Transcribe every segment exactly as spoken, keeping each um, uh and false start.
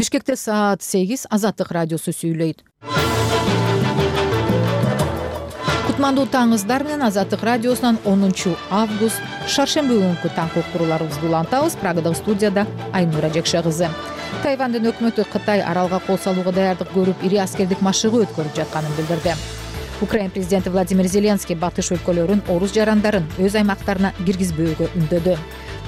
Бишкекте саат сегиз. Азаттык радиосу сүйлөйт. Кутмандуу таңыңыздар менен Азаттык радиосунан онунчу август шаршемби күнкү таңкы уктурууларыбызды улантабыз. Прагадагы студияда Айнура Жекше кызы. Тайвандын өкмөтү Кытай аралга кол салууга даярдык көрүп, ири аскердик машыгуу өткөрүп жатканын билдирди. Украина президенти Владимир Зеленский батыш өлкөлөрүн орус жарандарын өз аймактарына киргизбөөгө үндөдү.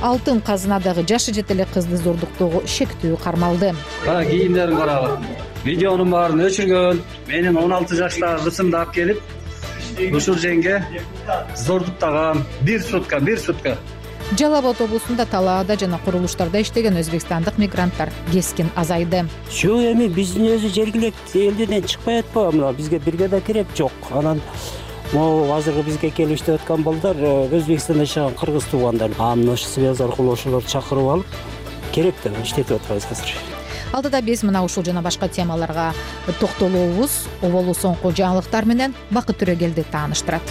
Алтын казынадагы жашы жете элек кызды зордуктоого шектүү кармалды. Кара кийимдерин карагы. Видеонун баарын өчүргөн. Менин он алты жаштагы кызымды алып келип, ушул жерге зордуктаган. Бир сутка, бир сутка. Жалал Абад облусунда талаада жана курулуштарда иштеген өзбекстандык мигранттар кескин азайды. Şu эми биздин өзү жергиликтүү элдерден чыкпай атпабы, мына бизге бирге да керек жок. Анан могу азыркы бизге келип иштеп аткан балдар Өзбекстанда жашаган кыргыз туугандар. Анын ошо связь аркылуу ошолорду чакырып алып, керек деп иштетип атабыз азыр. Алдыда биз мына ушул жана башка темаларга токтолобуз. Оболу соңку жаңылыктар менен Бакыт Төрөгелди тааныштырат.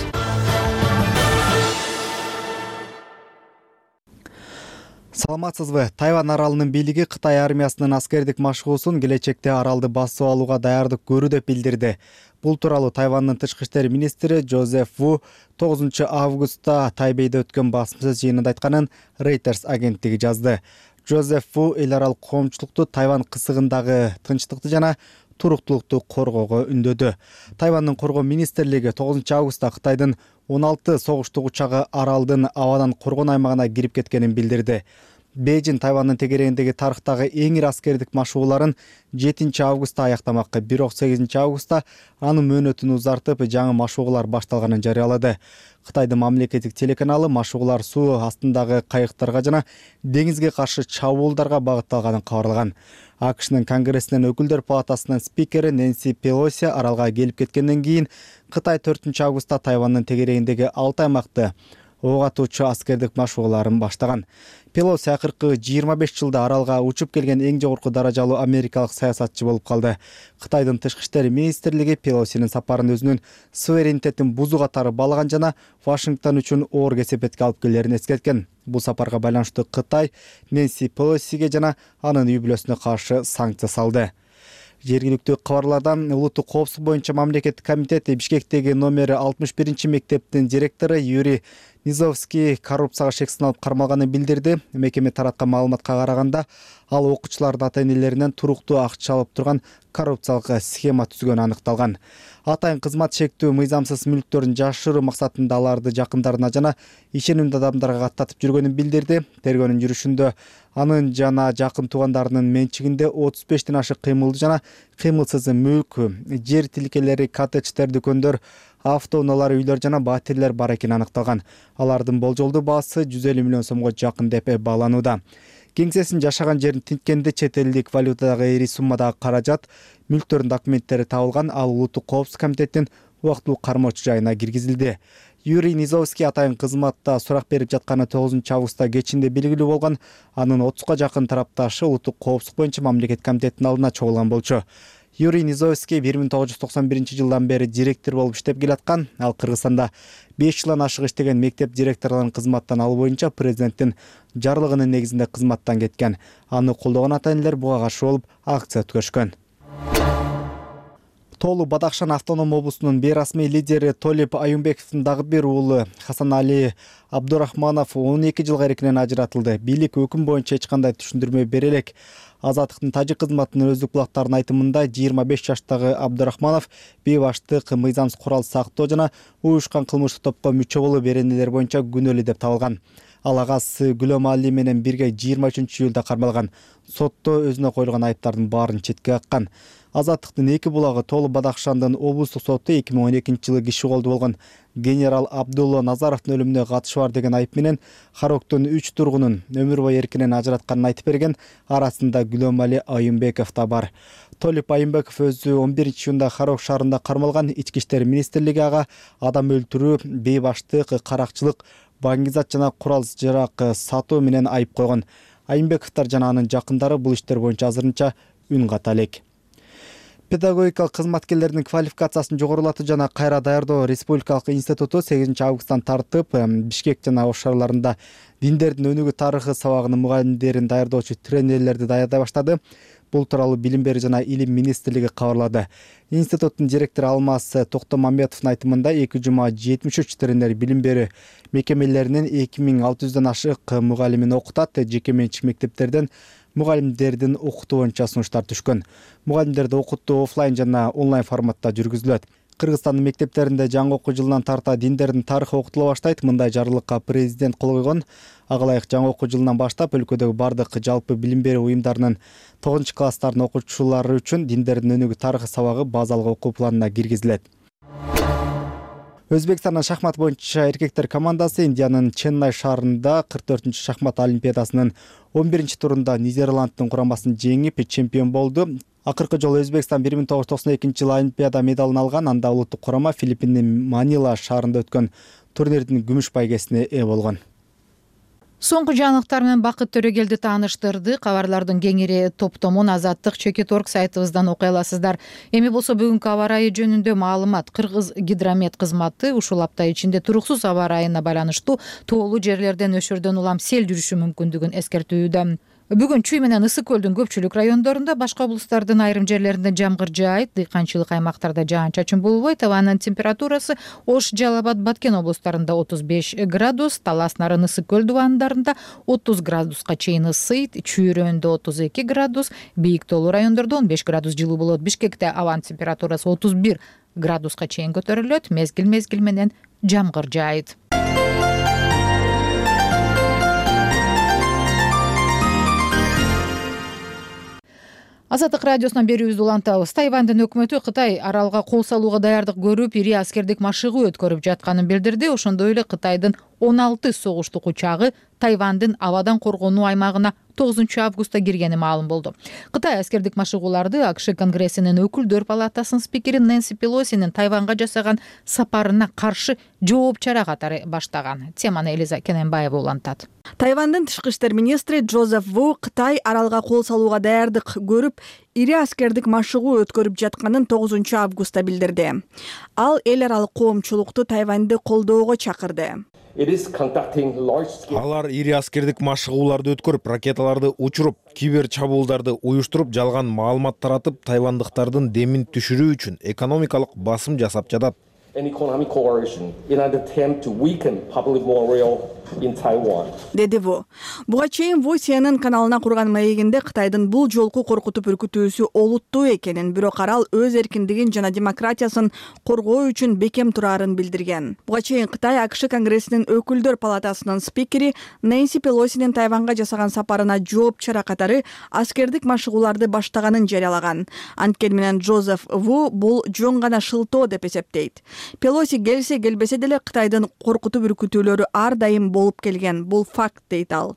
Саламатсызбы? Тайвань аралынын бийлиги Кытай армиясынын аскердик машыгуусун келечекте аралды басып алууга даярдык көрүү деп билдирди. Бул тууралуу Тайвандын тышкы иштер министри Жозеф Ву тогузунчу августта Тайбейде өткөн басмасөз жыйынында айтканын Reuters агенттиги жазды. Жозеф Ву эл аралык коомчулукту Тайвань кысыгындагы тынчтыкты жана туруктуулукту коргоого үндөдү. Тайвандын коргоо министрлиги тогузунчу августта Кытайдын он алты согуштук учагы аралдын абадан коргон аймагына кирип кеткенин билдирди. Бейжин Тайвандын тегерегиндеги тарыхтагы эң ири аскердик машыгууларын жетинчи августта аяктамакчы, бирок сегизинчи августта анын мөөнөтүн узартып, жаңы машыгуулар башталганын жарыялады. Кытайдын мамлекеттик телеканалы машыгуулар суу астындагы кайыктарга жана деңизге каршы чабуулдарга багытталганын кабарлаган. АКШнын Конгрессинин өкүлдөр палатасынын спикери Нэнси Пелоси аралга келип кеткенден кийин Кытай төртүнчү августта Тайвандын тегерегиндеги алты аймакты ок атуучу аскердик машыгууларын баштаган. Пелоси акыркы жыйырма беш жылда аралга учуп келген эң жогорку даражалуу америкалык саясатчы болуп калды. Кытайдын тышкы иштер министрлиги Пелосинин сапарын өзүнүн суверенитетин бузуу катары баалаган жана Вашингтон үчүн оор кесепетке алып келерин эскерткен. Бул сапарга байланыштуу Кытай Нэнси Пелосиге жана анын үй бүлөсүнө каршы санкция салды. Жергиликтүү кабарлардан улуттук коопсуздук боюнча мамлекеттик комитет Бишкектеги номери алтымыш биринчи мектептин директору Юрий Низовский коррупцияга шек сыналып кармалганын билдирди. Мекеме тараткан маалыматка караганда, ал окуучулардын ата-энелеринен туруктуу акча алып турган коррупциялык схема түзгөнү аныкталган. Атайын кызмат шектүү мыйзамсыз мүлктөрүн жашыруу максатында аларды жакындарына жана ишенимдүү адамдарга каттатып жүргөнүн билдирди. Тергөөнүн жүрүшүндө анын жана жакын туугандарынын менчигинде отуз бештен ашык кыймылдуу жана кыймылсыз мүлк, жер тилкелери, коттедждер, дүкөндөр, автоунаалар, үйлөр жана батирлер бар экени аныкталган. Алардын болжолдуу баасы жүз элүү миллион сомго жакын деп бааланууда. Кеңсесин жашаган жерин тинткенде чет элдик валютадагы ири суммадагы каражат, мүлктөрдүн документтери табылган. Ал улуттук коопсуздук комитеттин убактылуу кармоочу жайына киргизилди. Юрий Низовский атайын кызматта сурак берип жатканы тогузунчу августта кечинде белгилүү болгон. Анын отузга жакын тарапташы улуттук коопсуздук боюнча мамлекеттик комитеттин алдына чогулган болчу. Юрий Низовский бир миң тогуз жүз токсон биринчи жылдан бери директор болуп иштеп келаткан. Ал Кыргызстанда беш жылдан ашык иштеген мектеп директорлорун кызматтан алуу боюнча президенттин жарлыгынын негизинде кызматтан кеткен. Аны колдогон ата-энелер буга каршы болуп акция өткөрүшкөн. Тоолу Бадахшан автоном облусунун бейрасмий лидери Толип Аюмбековдун дагы бир уулу Хасанали Абдурахманов он эки жылга эркинен ажыратылды. Бийлик өкүм боюнча эч кандай түшүндүрмө бере элек. Азаттыктын тажик кызматынын өздүк булактарынын айтымында жыйырма беш жаштагы Абдурахманов бейбаштык, мыйзамсыз курал сактоо жана уюшкан кылмыштык топко мүчө болуу беренелер боюнча күнөөлүү деп табылган. Ал агасы Гүлөм Али менен бирге жыйырма үчүнчү июлда кармалган. Сотто өзүнө коюлган айыптардын баарын четке каккан. Азаттыктын эки булагы Тоолу Бадахшандын облустук соту эки миң он экинчи жылы киши колду болгон генерал Абдулла Назаровдун өлүмүнө катышы бар деген айып менен Хароктун үч тургунун өмүр бою эркинен ажыратканын айтып берген. Арасында Гүлөм Али Аюмбеков да бар. Толип Аюмбеков өзү он биринчи июнда Харок шаарында кармалган. Ички иштер министрлиги ага адам өлтүрүү, бейбаштык, каракчылык, баңгизат жана курал жарак сатуу менен айып койгон. Аюмбековдор жана анын жакындары бул иштер боюнча азырынча үн ката элек. Педагогикалык кызматкерлердин квалификациясын жогорулатуу жана кайра даярдоо республикалык институту сегизинчи августтан тартып Бишкек жана Ош шаарларында диндердин өнүгүү тарыхы сабагынын мугалимдерин даярдоочу тренерлерди даярдай баштады. Бул тууралуу Билим берүү жана Илим министрлиги кабарлады. Институттун директору Алмаз Токтомамбетовдун айтымында эки жума жетимиш үч тренер билим берүү мекемелеринин эки миң алты жүздөн ашык мугалимин окутат. Жеке менчик мектептерден мугалимдердин окутуу боюнча сунуштар түшкөн. Мугалимдерди окутуу офлайн жана онлайн форматта жүргүзүлөт. Кыргызстандын мектептеринде жаңы окуу жылынан тарта диндердин тарыхы окутула баштайт. Мындай жарлыкка президент кол койгон. Ага ылайык жаңы окуу жылынан баштап өлкөдөгү бардык жалпы билим берүү уюмдарынын тогузунчу класстардын окуучулары үчүн диндердин өнүгүү тарыхы сабагы базалык окуу планына киргизилет. Өзбекстандын шахмат боюнча эркектер командасы Индиянын Ченнай шаарында кырк төртүнчү шахмат олимпиадасынын он биринчи турунда Нидерланддын курамасын жеңип чемпион болду. Акыркы жолу Өзбекстан бир миң тогуз жүз токсон экинчи жылы олимпиада медалын алган. Анда улуттук курама Филиппиндин Манила шаарында өткөн турнирдин күмүш байгесине ээ болгон. Соңку жаңылыктар менен Бакыт Төрөгелди тааныштырды. Кабарлардын кеңири топтомун Азаттык чекит орг сайтыбыздан окуй аласыздар. Эми болсо бүгүнкү аба ырайы жөнүндө маалымат. Кыргыз гидромет кызматы ушул апта ичинде туруксуз аба ырайына байланыштуу тоолуу жерлерден өшөрдөн улам сел жүрүшү мүмкүндүгүн эскертүүдө. Бүгүн Чүй менен Ысык көлдүн көпчүлүк райондорунда, башка облустардын айрым жерлеринде жамгыр жаайт, дыйканчылык аймактарда жаан-чачын болбойт. Абанын температурасы Ош, Жалал Абад, Баткен облустарында отуз беш градус, Талас, Нарын, Ысык көл дубандарында отуз градуска чейин ысыйт, Чүй районунда отуз эки градус, бийик тоолуу райондордо он беш градус жылуу болот. Бишкекте абанын температурасы отуз бир градуска чейин көтөрүлөт, мезгил-мезгил менен жамгыр жаайт. Азаттык радиосунан берүүбүздү улантабыз. Тайвандын өкмөтү Кытай аралга кол салууга даярдык көрүп, ири аскердик машыгуу өткөрүп жатканын билдирди. Ошондой эле Кытайдын он алты согуштук учагы Тайвандын абадан коргонуу аймагына тогузунчу августта киргени маалым болду. Кытай аскердик машыгууларды АКШ Конгрессинин өкүлдөр палатасынын спикери Нэнси Пелосинин Тайванга жасаган сапарына каршы жооп чара катары баштаган. Теманы Элиза Кененбаева улантат. Тайвандын тышкы иштер министри Джозеф Ву Кытай аралга кол салууга даярдык көрүп, ири аскердик машыгуу өткөрүп жатканын тогузунчу августта билдирди. Ал эл аралык коомчулукту Тайваньды колдоого чакырды. Алар ири аскердик машыгууларды өткөрүп, ракеталарды учуруп, кибер чабуулдарды уюштуруп, жалган маалымат таратып, тайвандыктардын демин түшүрүү үчүн экономикалык басым жасап жатат. Деди Ву. Буга чейин Ву Си Эн Эн каналына курган маегинде Кытайдын бул жолку коркутуп үркүтүүсү олуттуу экенин, бирок арал өз эркиндигин жана демократиясын коргоо үчүн бекем турарын билдирген. Буга чейин Кытай АКШ Конгрессинин өкүлдөр палатасынын спикери Нэнси Пелосинин Тайванга жасаган сапарына жооп чара катары аскердик машыгууларды баштаганын жарыялаган. Анткени менен Джозеф Ву бул жөн гана шылтоо деп эсептейт. Пелоси келсе келбесе деле Кытайдын коркутуп үркүтүүлөрү ар дайым болуп келген. Бул факт дейт ал.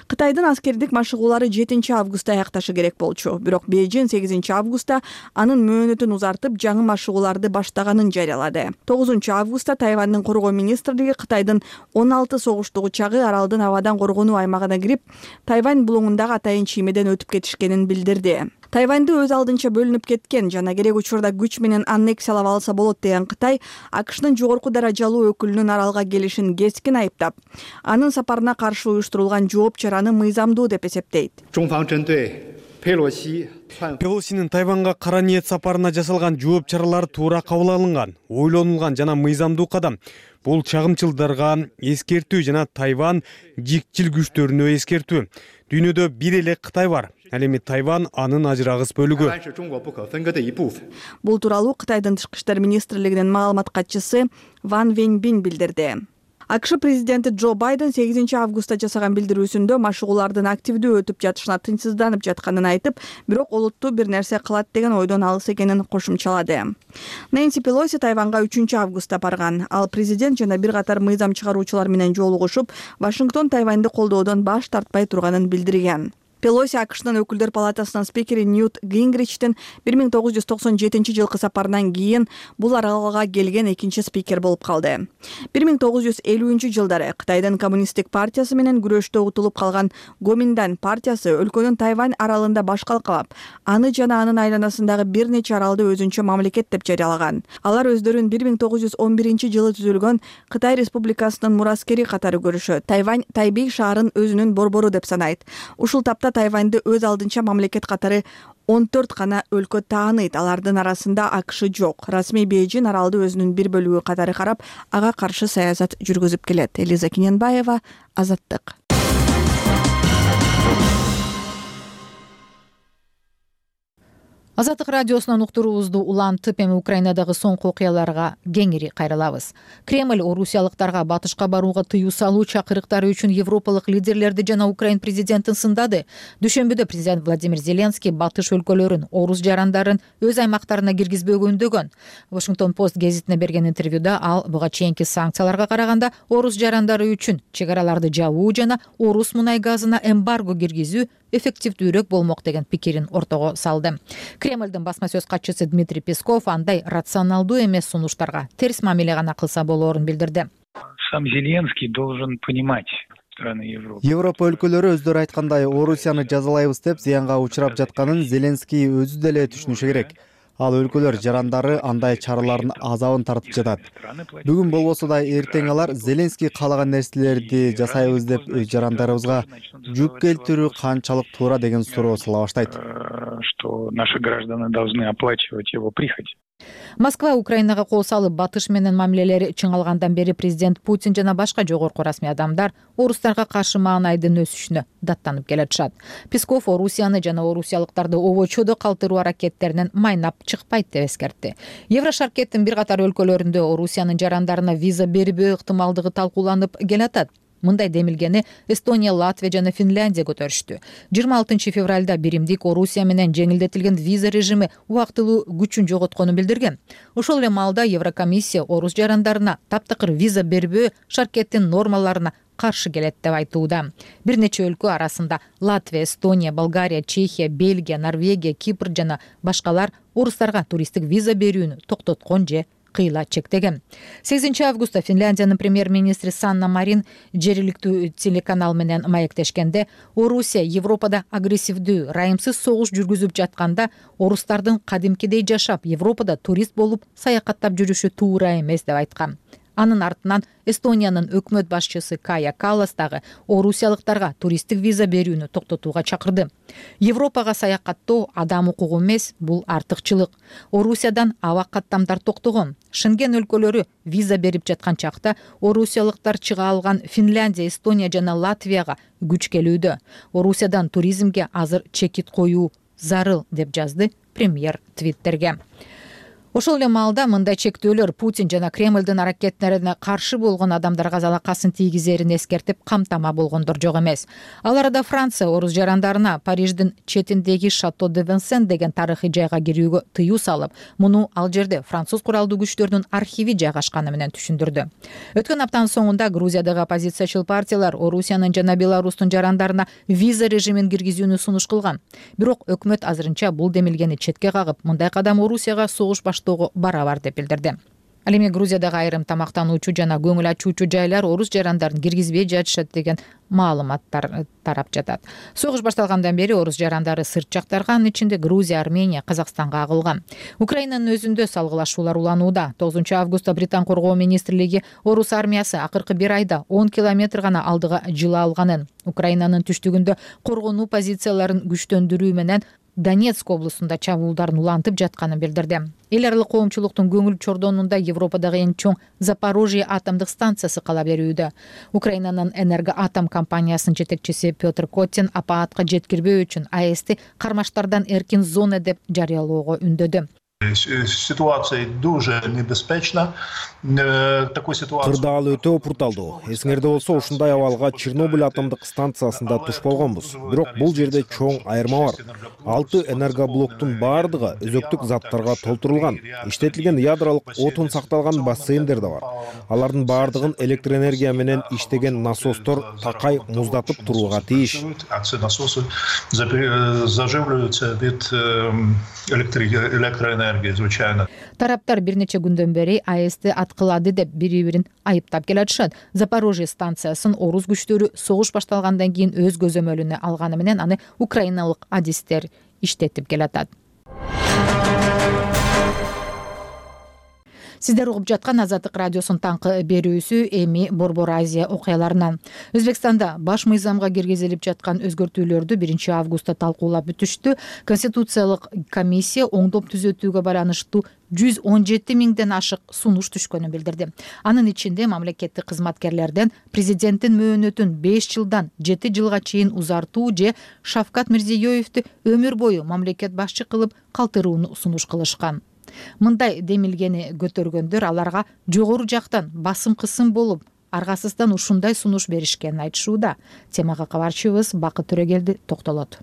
Кытайдын аскердик машыгуулары жетинчи августта аякташы керек болчу. Бирок Бейжин сегизинчи августта анын мөөнөтүн узартып, жаңы машыгууларды баштаганын жарыялады. тогузунчу августта Тайвандын коргоо министрлиги Кытайдын он алты согуштук учагы аралдын абадан коргонуу аймагына кирип, Тайвань булуңундагы атайын чиймеден өтүп кетишкенин билдирди. Тайваньды өз алдынча бөлүнүп кеткен жана керек учурда күч менен аннексиялап алса болот деген Кытай АКШнын жогорку даражалуу өкүлүнүн аралга келишин кескин айыптап, анын сапарына каршы уюштурулган жооп чараны мыйзамдуу деп эсептейт. Пелосинин Тайванга кара ниет сапарына жасалган жооп чаралары туура кабыл алынган, ойлонулган жана мыйзамдуу кадам. Бул чагымчылдарга эскертүү жана Тайвань жикчил күчтөрүнө эскертүү. Дүйнөдө бир эле Кытай бар. Ал эми Тайвань анын ажырагыс бөлүгү. Бул тууралуу Кытайдын тышкы иштер министрлигинин маалымат катчысы Ван Венбин билдирди. АКШ президенти Джо Байден сегизинчи августта жасаган билдирүүсүндө машыгуулардын активдүү өтүп жатышына тынчсызданып жатканын айтып, бирок олуттуу бир нерсе кылат деген ойдон алыс экенин кошумчалады. Нэнси Пелоси Тайванга үчүнчү августта барган. Ал президент жана бир катар мыйзам чыгаруучулар менен жолугушуп, Вашингтон Тайваньды колдоодон баш тартпай турганын билдирген. Пелоси АКШнын өкүлдөр палатасынын спикери Ньют Гингричтин бир миң тогуз жүз токсон жетинчи жылкы сапарынан кийин бул аралга келген экинчи спикер болуп калды. бир миң тогуз жүз элүүнчү жылдары Кытайдын коммунисттик партиясы менен күрөштө утулуп калган Гоминдан партиясы өлкөнүн Тайвань аралында баш калкалап, аны жана анын айланасындагы бир нече аралды өзүнчө мамлекет деп жарыялаган. Алар өздөрүн бир миң тогуз жүз он биринчи жылы түзүлгөн Кытай Республикасынын мураскери катары көрүшөт. Тайвань Тайбей шаарын өзүнүн борбору деп санайт. Ушул тапта Тайваньды өз алдынча мамлекет катары он төрт гана өлкө тааныйт. Алардын арасында АКШ жок. Расмий Бейжин аралды өзүнүн бир бөлүгү катары карап, ага каршы саясат жүргүзүп келет. Элиза Киненбаева, Азаттык. Азаттык радиосунан уктуруубузду улантып, эми Украинадагы соңку окуяларга кеңири кайрылабыз. Кремль орусиялыктарга батышка барууга тыюу салуу чакырыктары үчүн европалык лидерлерди жана Украин президентин сындады. Дүйшөмбүдө президент Владимир Зеленский батыш өлкөлөрүн, орус жарандарын өз аймактарына киргизбөөгө үндөгөн. Washington Post гезитине берген интервьюда ал буга чейинки санкцияларга караганда орус жарандары үчүн чек араларды жабуу жана орус мунай газына эмбарго киргизүү эффективдүүрөөк болмок деген пикирин ортого салды. Кремльдин басма сөз катчысы Дмитрий Песков андай рационалдуу эмес сунуштарга терс мамиле гана кылса болоорун билдирди. Сам Зеленский должен понимать страны Европы. Европа өлкөлөрү өздөрү айткандай Орусияны жазалайбыз деп зыянга учурап жатканын Зеленский өзү деле түшүнүшү керек. Ал өлкөлөр жарандары андай чаралардын азабын тартып жатат. Бүгүн болбосо да эртең алар Зеленский каалаган нерселерди жасайбыз деп өз жарандарыбызга жүк келтирүү канчалык туура деген суроо сала баштайт. Что наши граждане должны оплачивать его прихоть. Москва Украинага кол салып, батыш менен мамилелери чыңалгандан бери президент Путин жана башка жогорку расмий адамдар орустарга каршы маанайдын өсүшүнө даттанып келатышат. Песков Орусияны жана орусиялыктарды обочодо калтыруу аракеттеринен майнап чыкпайт деп эскертти. Еврошаркеттин бир катар өлкөлөрүндө Орусиянын жарандарына виза бербөө ыктымалдыгы талкууланып келатат. Мындай демилгени Эстония, Латвия жана Финляндия көтөрүштү. жыйырма алтынчы февралда биримдик Орусия менен жеңилдетилген виза режими убактылуу күчүн жоготконун билдирген. Ошол эле маалда Еврокомиссия орус жарандарына таптакыр виза бербөө шаркеттин нормаларына каршы келет деп айтууда. Бир нече өлкө арасында Латвия, Эстония, Болгария, Чехия, Бельгия, Норвегия, Кипр жана башкалар орустарга туристтик виза берүүнү токтоткон же кыйла чектеген. сегизинчи августта Финляндиянын премьер-министри Санна Марин жергиликтүү телеканал менен маектешкенде, Орусия Европада агрессивдүү, райымсыз согуш жүргүзүп жатканда орустардын кадимкидей жашап, Европада турист болуп саякаттап жүрүшү туура эмес деп айткан. Анын артынан Эстониянын өкмөт башчысы Кая Каллас дагы орусиялыктарга туристтик виза берүүнү токтотууга чакырды. Европага саякаттоо адам укугу эмес, бул артыкчылык. Орусиядан аба каттамдар токтогон. Шенген өлкөлөрү виза берип жаткан чакта орусиялыктар чыга алган Финляндия, Эстония жана Латвияга күч келүүдө. Орусиядан туризмге азыр чекит коюу зарыл деп жазды премьер Твиттерге. Ошол эле маалда мындай чектөөлөр Путин жана Кремлдин аракеттерине каршы болгон адамдарга залакасын тийгизерин эскертип, камтама болгондор жок эмес. Ал арада Франция орус жарандарына Париждин четиндеги Шато де Винсен деген тарыхый жайга кирүүгө тыюу салып, муну ал жерде француз куралдуу күчтөрүнүн архиви жайгашканы менен түшүндүрдү. Өткөн аптанын соңунда Грузиядагы оппозициячыл партиялар Орусиянын жана Беларустун жарандарына виза режимин киргизүүнү сунуш кылган. Бирок өкмөт азырынча бул демилгени четке кагып, мындай кадам Орусияга согуш баштоого барабар деп билдирди. Ал эми Грузиядагы айрым тамактануучу жана көңүл ачуучу жайлар орус жарандарын киргизбей жатышат деген маалыматтар тарап жатат. Согуш башталгандан бери орус жарандары сырт жактарга, анын ичинде Грузия, Армения, Казакстанга агылган. Украинанын өзүндө салгылашуулар уланууда. тогузунчу августта Британ коргоо министрлиги орус армиясы акыркы бир айда он километр гана алдыга жыла алганын, Украинанын түштүгүндө коргонуу позицияларын күчтөндүрүү менен Донецк облусунда чабуулдарын улантып жатканын билдирди. Эл аралык коомчулуктун көңүл чордонунда Европадагы эң чоң Запорожье атомдук станциясы кала берүүдө. Украинанын Энергоатом компаниясынын жетекчиси Петр Коттин апаатка жеткирбөө үчүн А Эсти кармаштардан эркин зона деп жарыялоого үндөдү. Ситуация дуже небезпечна. Такой ситуация. Кырдаал өтө опурталдуу. Эсиңерде болсо ушундай абалга Чернобыль атомдук станциясында туш болгонбуз. Бирок бул жерде чоң айырма бар. Алты энергоблоктун баардыгы өзөктүк заттарга толтурулган. Иштетилген ядролук отун сакталган бассейндер да бар. Алардын баардыгын электр энергия менен иштеген насостор такай муздатып турууга тийиш. Насосы заживляются вид электроэнергии. Тараптар бир нече күндөн бери АЭСти аткылады деп бири-бирин айыптап келатышат. Запорожье станциясын орус күчтөрү согуш башталгандан кийин өз көзөмөлүнө алганы менен аны украиналык адистер иштетип келатат. Сиздер угуп жаткан Азаттык радиосунун таңкы берүүсү эми Борбор Азия окуяларынан. Өзбекстанда баш мыйзамга киргизилип жаткан өзгөртүүлөрдү биринчи августта талкуулап бүтүштү. Конституциялык комиссия оңдоп түзөтүүгө байланыштуу жүз он жети миңден ашык сунуш түшкөнүн билдирди. Анын ичинде мамлекеттик кызматкерлерден президенттин мөөнөтүн беш жылдан жети жылга чейин узартуу же Шавкат Мирзиёевди өмүр бою мамлекет башчы кылып калтырууну сунуш кылышкан. Мындай демилгени көтөргөндөр аларга жогору жактан басым кысым болуп, аргасыздан ушундай сунуш беришкенин айтышууда. Темага кабарчыбыз Бакыт Төрөгелди токтолот.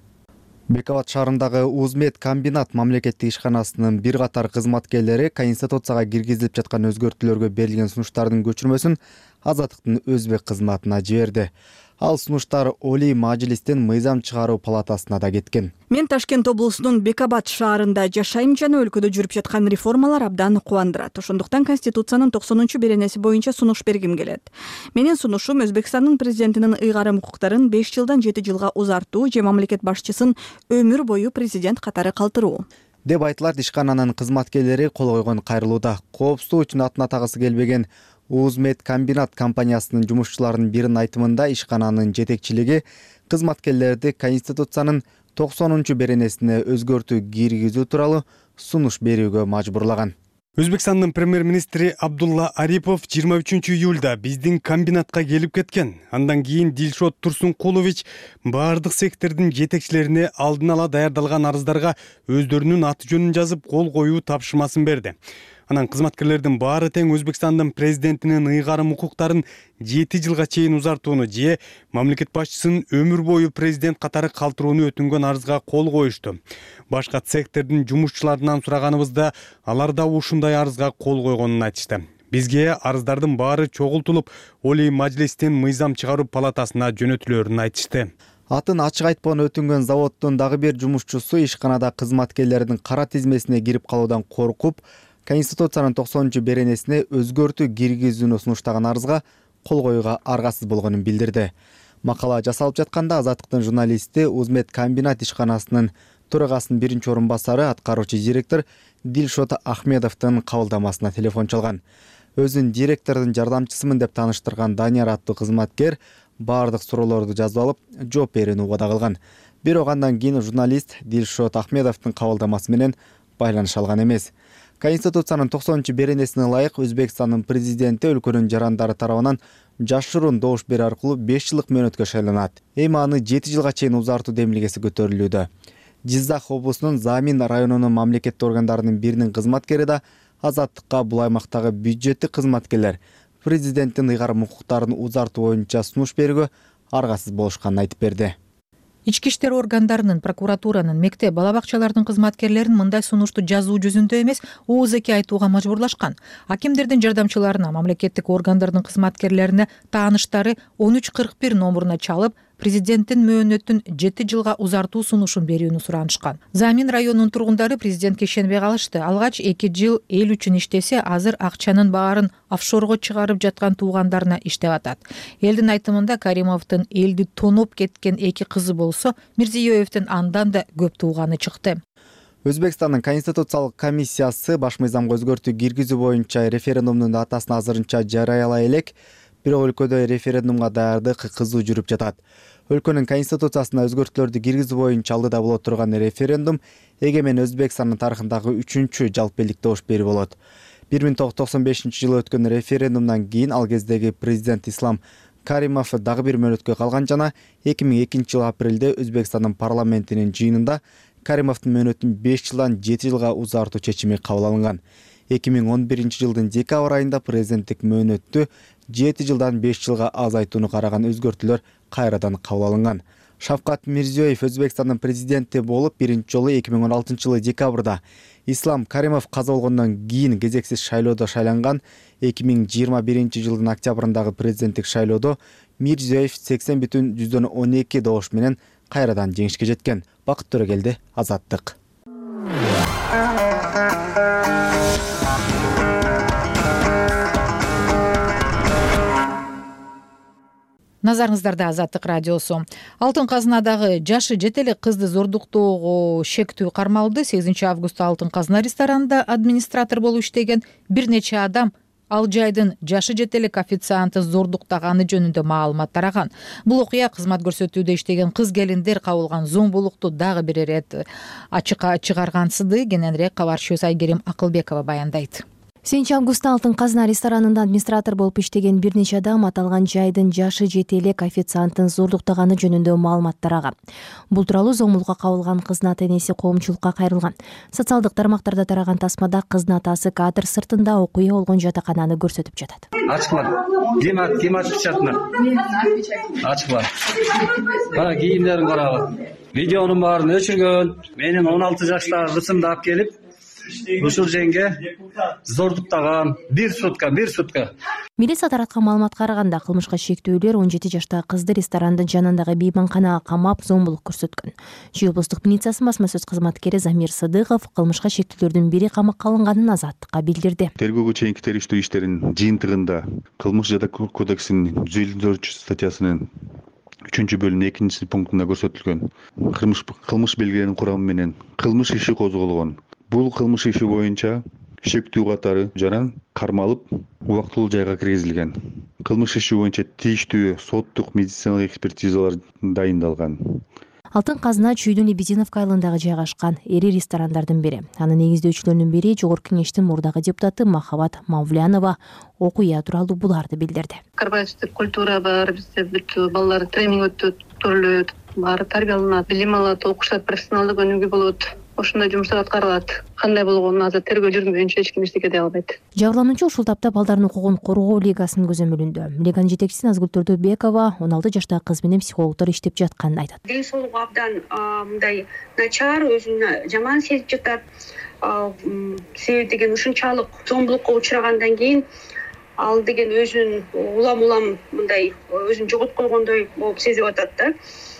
Бек Абад шаарындагы Узмед комбинат мамлекеттик ишканасынын бир катар кызматкерлери Конституцияга киргизилип жаткан өзгөртүүлөргө берилген сунуштардын көчүрмөсүн Азаттыктын өзбек кызматына жиберди. Ал сунуштар Олий Мажлистин мыйзам чыгаруу палатасына да кеткен. Мен Ташкент облусунун Бек Абад шаарында жашайм жана өлкөдө жүрүп жаткан реформалар абдан кубандырат. Ошондуктан Конституциянын токсонунчу беренеси боюнча сунуш бергим келет. Менин сунушум Өзбекстандын президентинин ыйгарым укуктарын беш жылдан жети жылга узартуу же мамлекет башчысын өмүр бою президент катары калтыруу деп айтылат. Ишкананын кызматкерлери кол койгон кайрылууда. Коопсуздук үчүн атын атагысы келбеген Узмед комбинат компаниясынын жумушчуларынын биринин айтымында ишкананын жетекчилиги кызматкерлерди Конституциянын токсонунчу беренесине өзгөртүү киргизүү тууралуу сунуш берүүгө мажбурлаган. Өзбекстандын премьер-министри Абдулла Арипов жыйырма үчүнчү июлда биздин комбинатка келип кеткен. Андан кийин Дилшот Турсункулович баардык сектордун жетекчилерине алдын ала даярдалган арыздарга өздөрүнүн аты жөнүн жазып кол коюу тапшырмасын берди. Анан кызматкерлердин баары тең Өзбекстандын президентинин ыйгарым укуктарын жети жылга чейин узартууну же мамлекет башчысын өмүр бою президент катары калтырууну өтүнгөн арызга кол коюшту. Башка сектордун жумушчуларынан сураганыбызда алар да ушундай арызга кол койгонун айтышты. Бизге арыздардын баары чогултулуп, Олий Мажлистин мыйзам чыгаруу палатасына жөнөтүлөрүн айтышты. Атын ачык айтпогон өтүнгөн заводдун дагы бир жумушчусу ишканада кызматкерлердин кара тизмесине кирип калуудан коркуп, Конституциянын токсонунчу беренесине өзгөртүү киргизүүнү сунуштаган арызга кол коюуга аргасыз болгонун билдирди. Макала жасалып жатканда Азаттыктын журналисти Узмед комбинат ишканасынын төрагасынын биринчи орун басары аткаруучу директор Дилшот Ахмедовдун кабылдамасына телефон чалган. Өзүн директордун жардамчысымын деп тааныштырган Данияр аттуу кызматкер баардык суроолорду жазып алып, жооп берүүнү убада кылган. Бирок андан кийин журналист Дилшот Ахмедовдун кабылдамасы менен байланыша алган эмес. Конституциянын токсонунчу беренесине ылайык Өзбекстандын президенти өлкөнүн жарандары тарабынан жашыруун добуш берүү аркылуу беш жылдык мөөнөткө шайланат. Эми аны жети жылга чейин узартуу демилгеси көтөрүлүүдө. Жизак облусунун Замин районунун мамлекеттик органдарынын биринин кызматкери да Азаттыкка бул аймактагы бюджеттик кызматкерлер президенттин ыйгарым укуктарын узартуу боюнча сунуш берүүгө аргасыз болушканын айтып берди. Ички иштер органдарынын, прокуратуранын, мектеп, бала бакчалардын кызматкерлерин мындай сунушту жазуу жүзүндө эмес, оозеки айтууга мажбурлашкан. Акимдердин жардамчыларына, мамлекеттик органдардын кызматкерлерине тааныштары он үч кырк бир номуруна чалып, президенттин мөөнөтүн жети жылга узартуу сунушун берүүнү суранышкан. Замин районунун тургундары президентке ишенбей калышты. Алгач эки жыл эл үчүн иштесе, азыр акчанын баарын офшорго чыгарып жаткан туугандарына иштеп атат. Элдин айтымында Каримовдун элди тоноп кеткен эки кызы болсо, Мирзиёевдин андан да көп тууганы чыкты. Өзбекстандын Конституциялык комиссиясы баш мыйзамга өзгөртүү киргизүү боюнча референдумдун датасын азырынча жарыялай элек, бирок өлкөдө референдумга даярдык кызуу жүрүп жатат. Өлкөнүн конституциясына өзгөртүүлөрдү киргизүү боюнча алдыда боло турган референдум эгемен Өзбекстандын тарыхындагы үчүнчү жалпы элдик добуш берүү болот. бир миң тогуз жүз токсон бешинчи жылы өткөн референдумдан кийин ал кездеги президент Ислам Каримов дагы бир мөөнөткө калган жана эки миң экинчи жылы апрелде Өзбекстандын парламентинин жыйынында Каримовдун мөөнөтүн беш жылдан жети жылга узартуу чечими кабыл алынган. эки миң он биринчи жылдын декабрь айында президенттик мөөнөттү жети жылдан беш жылга азайтууну караган өзгөртүүлөр кайрадан кабыл алынган. Шавкат Мирзиёев Өзбекстандын президенти болуп биринчи жолу эки миң он алтынчы жылы декабрда, Ислам Каримов каза болгондон кийин кезексиз шайлоодо шайланган. эки миң жыйырма биринчи жылдын октябрындагы президенттик шайлоодо Мирзиёев сексен бүтүн жүздөн он эки добуш менен кайрадан жеңишке жеткен. Бакыт Төрөгелди, Азаттык. Назарыңыздарда Азаттык радиосу. Алтын казынадагы жашы жете элек кызды зордуктоого шектүү кармалды. сегизинчи августта Алтын казына ресторанында администратор болуп иштеген бир нече адам ал жайдын жашы жете элек официантты зордуктаганы жөнүндө маалымат тараган. Бул окуя кызмат көрсөтүүдө иштеген кыз келиндер кабылган зомбулукту дагы бир ирет ачыкка чыгаргансыды. Кененирээк кабарчыбыз Айгерим Акылбекова баяндайт. сегизинчи августта Алтын казына ресторанында администратор болуп иштеген бир нече адам аталган жайдын жашы жете элек официанттын зордуктаганы жөнүндө маалымат тараган. Бул тууралуу зомбулукка кабылган кыздын ата-энеси коомчулукка кайрылган. Социалдык тармактарда тараган тасмада кыздын атасы кадр сыртында окуя болгон жатакананы көрсөтүп жатат. Ачкыла. Ким ким ачкычатны? Ачкыла. Кара кийимдерин карагы. Видеонун баарын өчүргөн. Менин он алты жаштагы кызымды алып келип ушул жеңге зордуктаган бир сутка бир сутка. Милиция тараткан маалыматка караганда кылмышка шектүүлөр он жети жаштагы кызды ресторандын жанындагы мейманканага камап зомбулук көрсөткөн. Чүй облустук милициясынын басма сөз кызматкери Замир Сыдыков кылмышка шектүүлөрдүн бири камакка алынганын Азаттыкка билдирди. Тергөөгө чейинки териштирүү иштеринин жыйынтыгында кылмыш жада кодексинин жүз элүү төртүнчү статьясынын үчүнчү бөлүмүнүн экинчи пунктунда көрсөтүлгөн кылмыш кылмыш белгиленин курамы менен кылмыш иши козголгон. Бул кылмыш иши боюнча шектүү катары жаран кармалып убактылуу жайга киргизилген. Кылмыш иши боюнча тийиштүү соттук медициналык экспертизалар дайындалган. Алтын казына Чүйдүн Лебединовка айылындагы жайгашкан эри ресторандардын бири. Анын негиздөөчүлөрүнүн бири Жогорку Кеңештин мурдагы депутаты Махабат Мавлянова окуя тууралуу буларды билдирди. Корпоративдик культура бар, бизде бүт балдар тренинг өтөт, көрүлөт, баары тарбияланат, билим алат, окушат, профессионалдык өнүгүү болот. Ошондой жумуштар аткарылат. Кандай болгонун азыр тергөө жүргүзүлгөнчө эч ким эчтеке дей албайт. Жабырлануучу ушул тапта балдардын укугун коргоо лигасынын көзөмөлүндө. Лиганын жетекчиси Назгүл Төрдөбекова он алты жаштагы кыз менен психологдор иштеп жатканын айтат. Ден соолугу абдан мындай начар, өзүн жаман сезип жатат. Себеби деген ушунчалык зомбулукка учурагандан кийин ал деген өзүн улам-улам мындай өзүн жоготуп койгондой болуп сезип атат да.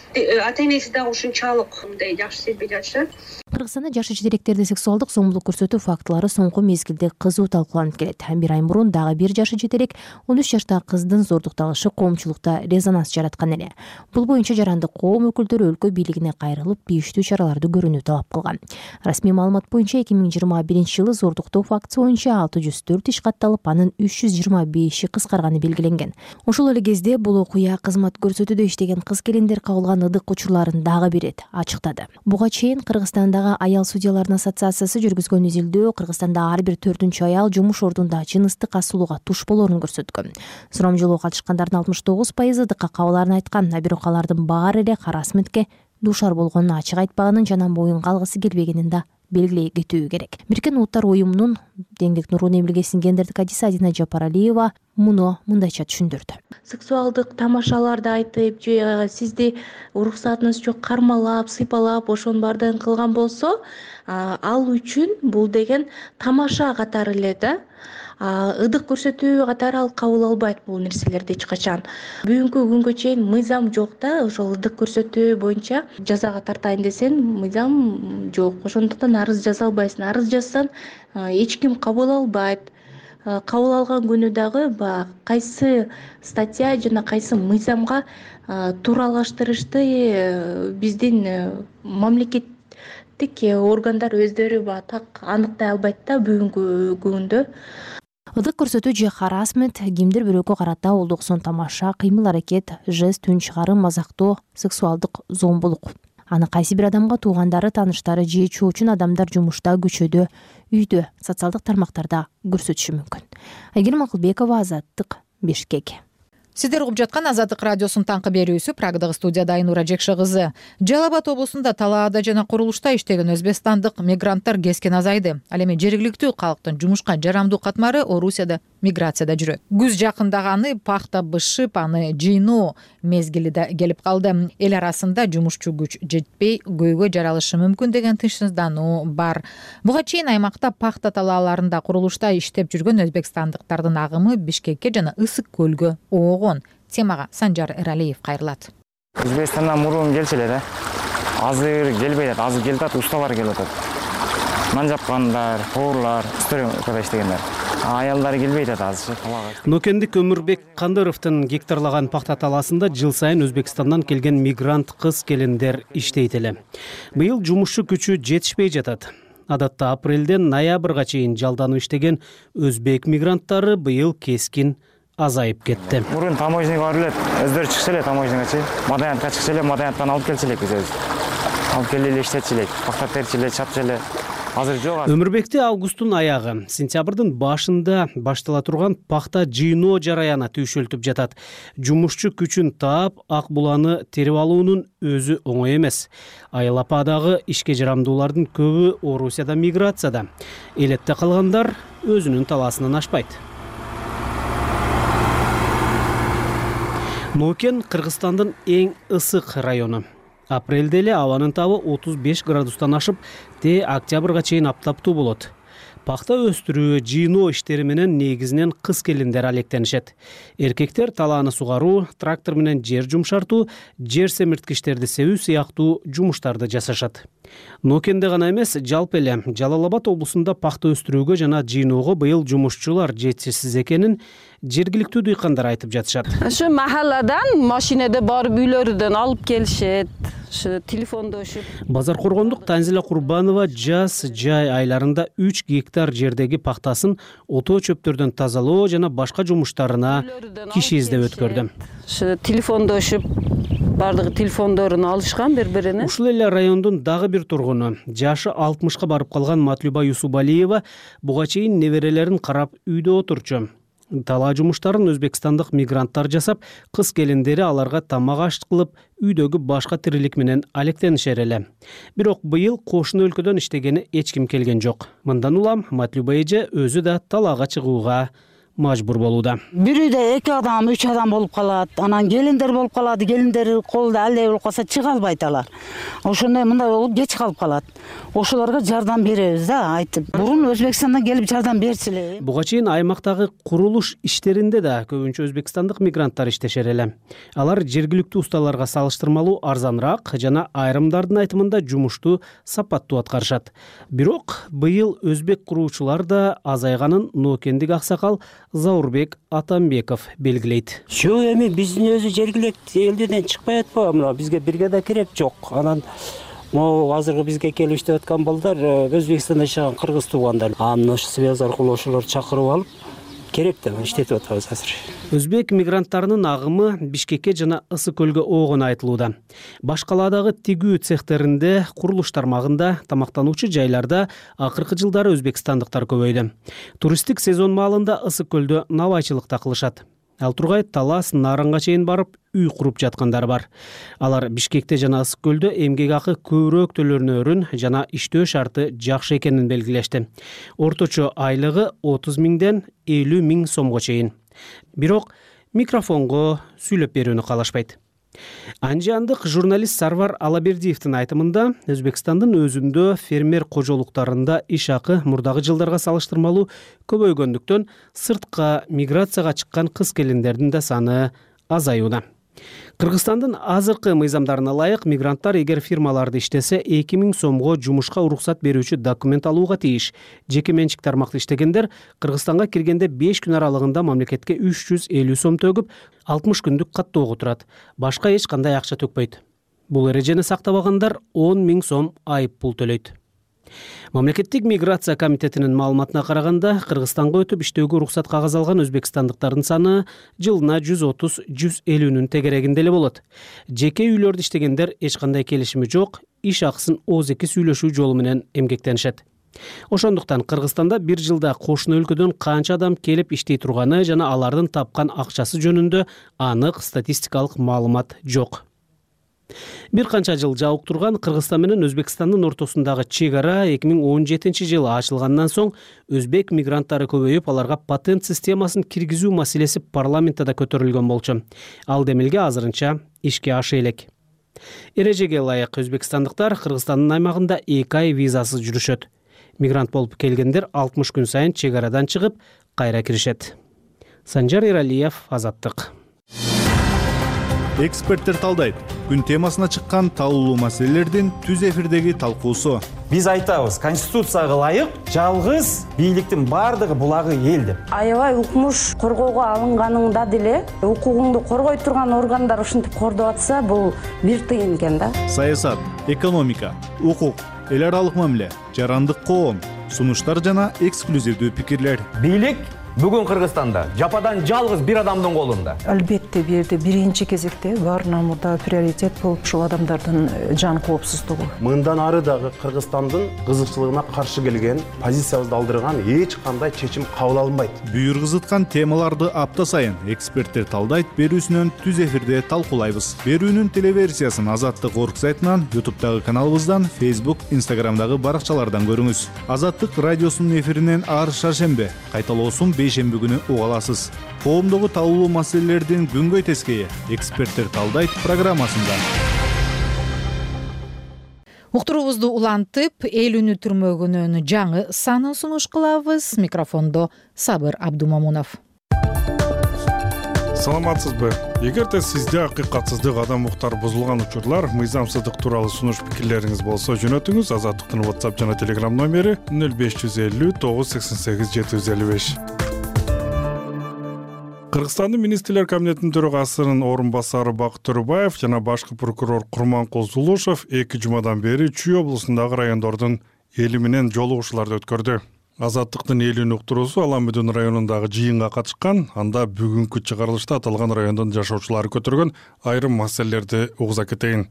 Ата-энеси дагы ушунчалык мындай жакшы сезбей жатышат. Кыргызстанда жашы жетелектерди сексуалдык зомбулук көрсөтүү фактылары соңку мезгилде кызуу талкууланып келет. Бир ай мурун дагы бир жашы жетелек он үч жаштагы кыздын зордукталышы коомчулукта резонанс жараткан эле. Бул боюнча жарандык коом өкүлдөрү өлкө бийлигине кайрылып тийиштүү чараларды көрүүнү талап кылган. Расмий маалымат боюнча эки миң жыйырма биринчи жылы зордуктоо фактысы боюнча алты жүз төрт иш катталып, анын үч жүз жыйырма беши кыскарганы белгиленген. Ошол эле кезде бул окуя кызмат көрсөтүүдө иштеген кыз келиндер кабылган ыдык учурларын дагы бир ирет ачыктады. Буга чейин Кыргызстанда Аял судьяларынын ассоциациясы жүргүзгөн изилдөө Кыргызстанда ар бир төртүнчү аял жумуш ордунда жыныстык асуулууга туш болоорун көрсөткөн. Сурамжылоого катышкандардын алтымыш тогуз пайызы ыдыкка кабылаарын айткан, бирок алардын баары эле харассментке дуушар болгонун ачык айтпаганын жана моюнга алгысы келбегенин да белгилей кетүү керек. Бириккен Улуттар уюмунун Деңдик Нургун эмилгесинин гендердик адиси Адина Жапаралиева муну мындайча түшүндүрдү. Сексуалдык тамашаларды айтып, же сизди уруксатыңыз жок кармалап, сыйпалап, ошонун баардыгын кылган болсо, ал үчүн бул деген тамаша катары эле да. Ыдык көрсөтүү катары ал кабыл албайт бул нерселерди эч качан. Бүгүнкү күнгө чейин мыйзам жок да, ошол ыдык көрсөтүү боюнча жазага тартайын десең, мыйзам жок. Ошондуктан арыз жаза албайсың. Арыз жазсаң, эч ким кабыл албайт. Кабыл алган күнү дагы кайсы статья жана кайсы мыйзамга тууралаштырышты биздин мамлекеттик органдар өздөрү так аныктай албайт да бүгүнкү күндө. Ыдык көрсөтүү же харассмент кимдир бирөөгө карата олдуксон тамаша, кыймыл-аракет, жест, үн чыгарым, мазактоо, сексуалдык зомбулук. Аны кайсы бир адамга туугандары, тааныштары же чоочун адамдар жумушта, көчөдө, үйдө, социалдык тармактарда көрсөтүшү мүмкүн. Айгерим Акылбекова, Азаттык, Бишкек. Сиздер угуп жаткан Азаттык радиосунун таңкы берүүсү. Прагдагы студияда Айнура Жекше кызы. Жалал Абад облусунда талаада жана курулушта иштеген өзбекстандык мигранттар кескен азайды. Ал эми жергиликтүү калктын жумушка жарамдуу катмары Орусияда миграцияда жүрөт. Күз жакындаганы пахта бышып, аны жыйноо мезгили да келип калды. Эл арасында жумушчу күч жетпей, көйгөй жаралышы мүмкүн деген тынчсыздануу бар. Буга чейин аймакта пахта талааларында курулушта иштеп жүргөн өзбекстандыктардын агымы Бишкекке жана Ысык көлгө оогон. Темага Санжар Эралиев кайрылат. Өзбекстандан мурун келчү эле да. Азыр келбей атат, азыр келип атат, усталар келип атат. Нан жапкандар, поварлар, стройкада иштегендер. Аялдар келбей атат азыр. Нокендик Өмүрбек Кандыровдун гектарлаган пахта талаасында жыл сайын Өзбекстандан келген мигрант кыз келиндер иштейт эле. Быйыл жумушчу күчү жетишпей жатат. Адатта апрелден ноябрга чейин жалданып иштеген өзбек мигранттары быйыл кескин азайып кетти. Мурун таможняга барып эле, өздөрү чыкчу эле таможняга, Мадаянтка чыкчу эле, Мадаянттан алып келчү элек биз. Алып келип эле иштетчү элек, пахта терчү эле, чапчу эле. Азыр жок. Өмүрбекте августтун аягы, сентябрдын башында баштала турган пахта жыйноо жараяны түйшөлтүп жатат. Жумушчу күчүн таап, ак буланы терип алуунун өзү оңой эмес. Айыл ападагы ишке жарамдуулардын көбү Орусияда миграцияда. Элетте калгандар өзүнүн талаасынан ашпайт. Нокен Кыргызстандын эң ысык району. Апрелде эле абанын табы отуз беш градустан ашып, те октябрга чейин аптаптуу болот. Пахта өстүрүү, жыйноо иштери менен негизинен кыз келиндер алектенишет. Эркектер талааны сугаруу, трактор менен жер жумшартуу, жер семирткичтерди себүү сыяктуу жумуштарды жасашат. Нокенде гана эмес, жалпы эле Жалал Абад облусунда пахта өстүрүүгө жана жыйноого быйыл жумушчулар жетишсиз экенин жергиликтүү дыйкандар айтып жатышат. Ошо махалладан машинеде барып үйлөрүдөн алып келишет. Ошо телефондошуп. Базаркоргондук Танзила Курбанова жаз жай айларында үч гектар жердеги пахтасын отоо чөптөрдөн тазалоо жана башка жумуштарына киши издеп өткөрдү. Ошо телефондошуп бардыгы телефондорун алышкан бири-бирине. Ушул эле райондун дагы бир тургуну, жашы алтымышка барып калган Матлюба Юсубалиева буга чейин неберелерин карап үйдө отурчу. Талаа жумуштарын өзбекстандык мигранттар жасап, кыз келиндери аларга тамак аш кылып, үйдөгү башка тирилик менен алектенишер эле. Бирок быйыл кошуна өлкөдөн иштегени эч ким келген жок. Мындан улам Матлюба эже өзү да талаага чыгууга мажбур болууда. Бир үйдө эки адам, үч адам болуп калат. Анан келиндер болуп калат. Келиндери колдо алдай болуп калса чыга албайт алар. Ошондой мындай болуп кеч калып калат. Ошолорго жардам беребиз да, айтып. Мурун Өзбекстандан келип жардам берчү эле. Буга чейин аймактагы курулуш иштеринде да көбүнчө өзбекстандык мигранттар иштешер эле. Алар жергиликтүү усталарга салыштырмалуу арзаныраак жана айрымдардын айтымында жумушту сапаттуу аткарышат. Бирок быйыл өзбек куруучулар да азайганын Нокендик аксакал Заурбек Атамбеков белгилейт. Жок, эми биздин өзү жергиликтүү элдерден чыкпай атпайбы? Мына бизге бригада керек жок. Анан могу азыркы бизге келип иштеп аткан балдар Өзбекстанда жашаган кыргыз туугандар. Анын ошо связь аркылуу ошолорду чакырып алып керек деп иштетип атабыз азыр. Өзбек мигранттарынын агымы Бишкекке жана Ысык көлгө оогон айтылууда. Баш калаадагы тигүү цехтеринде, курулуш тармагында, тамактануучу жайларда акыркы жылдары өзбекстандыктар көбөйдү. Туристтик сезон маалында Ысык көлдө навайчылыкта кылышат. Ал тургай талаас Нарынга чейин барып үй куруп жаткандар бар. Алар Бишкекте жана Ысык көлдө эмгек акы көбүрөөк төлөнөрүн жана иштөө шарты жакшы экенин белгилешти. Орточо айлыгы отуз миңден элүү миң сомго чейин. Бирок микрофонго сүйлөп берүүнү каалашпайт. Анжандык журналист Сарвар Алабердиевдин айтымында, Өзбекстандын өзүндө фермер кожолуктарында иш акы мурдагы жылдарга салыштырмалуу көбөйгөндүктөн сыртка миграцияга чыккан кыз келиндердин да саны азаюуда. Кыргызстандын азыркы мыйзамдарына ылайык мигранттар эгер фирмаларды иштесе эки миң сомго жумушка уруксат берүүчү документ алууга тийиш. Жеке менчик тармакта иштегендер Кыргызстанга киргенде беш күн аралыгында мамлекетке үч жүз элүү сом төгүп, алтымыш күндүк каттоого турат. Башка эч кандай акча төкпөйт. Бул эрежени сактабагандар он миң сом айып пул төлөйт. Мамлекеттик миграция комитетинин маалыматына караганда, Кыргызстанга өтүп иштөөгө уруксат кагаз алган өзбекстандыктардын саны жылына жүз отуз — жүз элүүнүн тегерегинде эле болот. Жеке үйлөрдө иштегендер эч кандай келишими жок, иш акысын ооз эки сүйлөшүү жолу менен эмгектенишет. Ошондуктан Кыргызстанда бир жылда кошуна өлкөдөн канча адам келип иштей турганы жана алардын тапкан акчасы жөнүндө анык статистикалык маалымат жок. Бир канча жыл жабык турган Кыргызстан менен Өзбекстандын ортосундагы чек ара эки миң он жетинчи жылы ачылгандан соң өзбек мигранттары көбөйүп, аларга патент системасын киргизүү маселеси парламентте да көтөрүлгөн болчу. Ал демилге азырынча ишке аша элек. Эрежеге ылайык өзбекстандыктар Кыргызстандын аймагында эки ай визасыз жүрүшөт. Мигрант болуп келгендер алтымыш күн сайын чек арадан чыгып, кайра киришет. Санжар Иралиев, Азаттык. Эксперттер талдайт. Күн темасына чыккан талуулуу маселелердин түз эфирдеги талкуусу. Биз айтабыз, конституцияга ылайык жалгыз бийликтин бардыгы булагы эл деп. Аябай укмуш коргоого алынганыңда деле укугуңду коргой турган органдар ушинтип кордоп атса, бул бир тыйын экен да. Саясат, экономика, укук, эл аралык мамиле, жарандык коом, сунуштар жана эксклюзивдүү пикирлер. Бийлик бүгүн Кыргызстанда жападан жалгыз бир адамдын колунда. Албетте бул жерде биринчи кезекте баарынан мурда приоритет болуп ушул адамдардын жан коопсуздугу. Мындан ары дагы Кыргызстандын кызыкчылыгына каршы келген, позициябызды алдырган эч кандай чечим кабыл алынбайт. Бүйүр кызыткан темаларды апта сайын эксперттер талдайт берүүсүнөн түз эфирде талкуулайбыз. Берүүнүн телеверсиясын Азаттык орг сайтынан, ютубтагы каналыбыздан, Facebook, Instagramдагы баракчалардан көрүңүз. Азаттык радиосунун эфиринен ар шаршембе, кайталоосун бейшемби күнү уга аласыз. Коомдогу талуулуу маселелердин күнгөй тескейи эксперттер талдайт программасында. Уктуруубузду улантып, эл үнү түрмөгүнүн жаңы санын сунуш кылабыз. Микрофондо Сабыр Абдумамунов. Саламатсызбы? Эгерде сизде акыйкатсыздык, адам укуктары бузулган учурлар, мыйзамсыздык тууралуу сунуш пикирлериңиз болсо, жөнөтүңүз. Азаттыктын WhatsApp жана Telegram номери нөл беш жүз элүү тогуз жүз сексен сегиз жети жүз элүү беш. Кыргызстандын министрлер кабинетинин төрагасынын орун басары Бакыт Төрөбаев жана башкы прокурор Курманкул Зулушев эки жумадан бери Чүй облусундагы райондордун эли менен жолугушууларды өткөрдү. Азаттыктын эл үнү уктуруусу Аламүдүн районундагы жыйынга катышкан, анда бүгүнкү чыгарылышта аталган райондун жашоочулары көтөргөн айрым маселелерди угуза кетейин.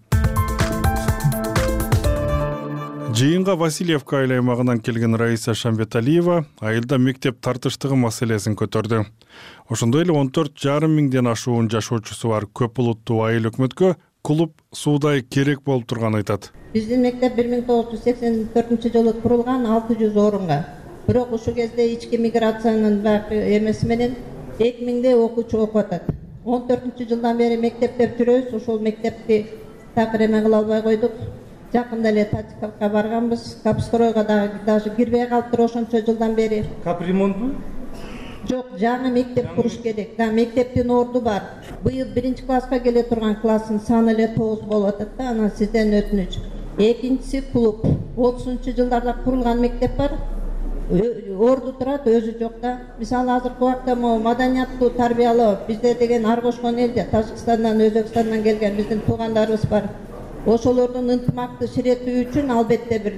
Жыйынга Васильевка айыл аймагынан келген Раиса Шамбеталиева айылда мектеп тартыштыгы маселесин көтөрдү. Ошондой эле он төрт жарым миңден ашуун жашоочусу бар көп булуттуу айыл өкмөткө клуб суудай керек болуп турганын айтат. Биздин мектеп бир миң тогуз жүз сексен төртүнчү жылы курулган алты жүз орунга. Бирок ушул кезде ички миграциянын баары эмеси менен эки миңдей окуучу окуп атат. он төртүнчү жылдан бери мектептеп жүрөбүз, ушул мектепти такыр эме кыла албай койдук. Жакында эле Татикалга барганбыз, капстройго дагы даже кирбей калыптыр ошончо жылдан бери. Капремонтбу? Жок, жаңы мектеп куруш керек. Да, мектептин орду бар. Быйыл биринчи класска келе турган класстын саны эле тогуз болуп атат да, анан сизден өтүнүч. Экинчиси клуб. отузунчу жылдарда курулган мектеп бар. Орду турат, өзү жок да. Мисалы азыркы убакта могу маданияттуу тарбиялоо бизде деген ар кошкон элде Тажикстандан, Өзбекстандан келген биздин туугандарыбыз бар. Ошолордун ынтымакты ширеттүү үчүн албетте бир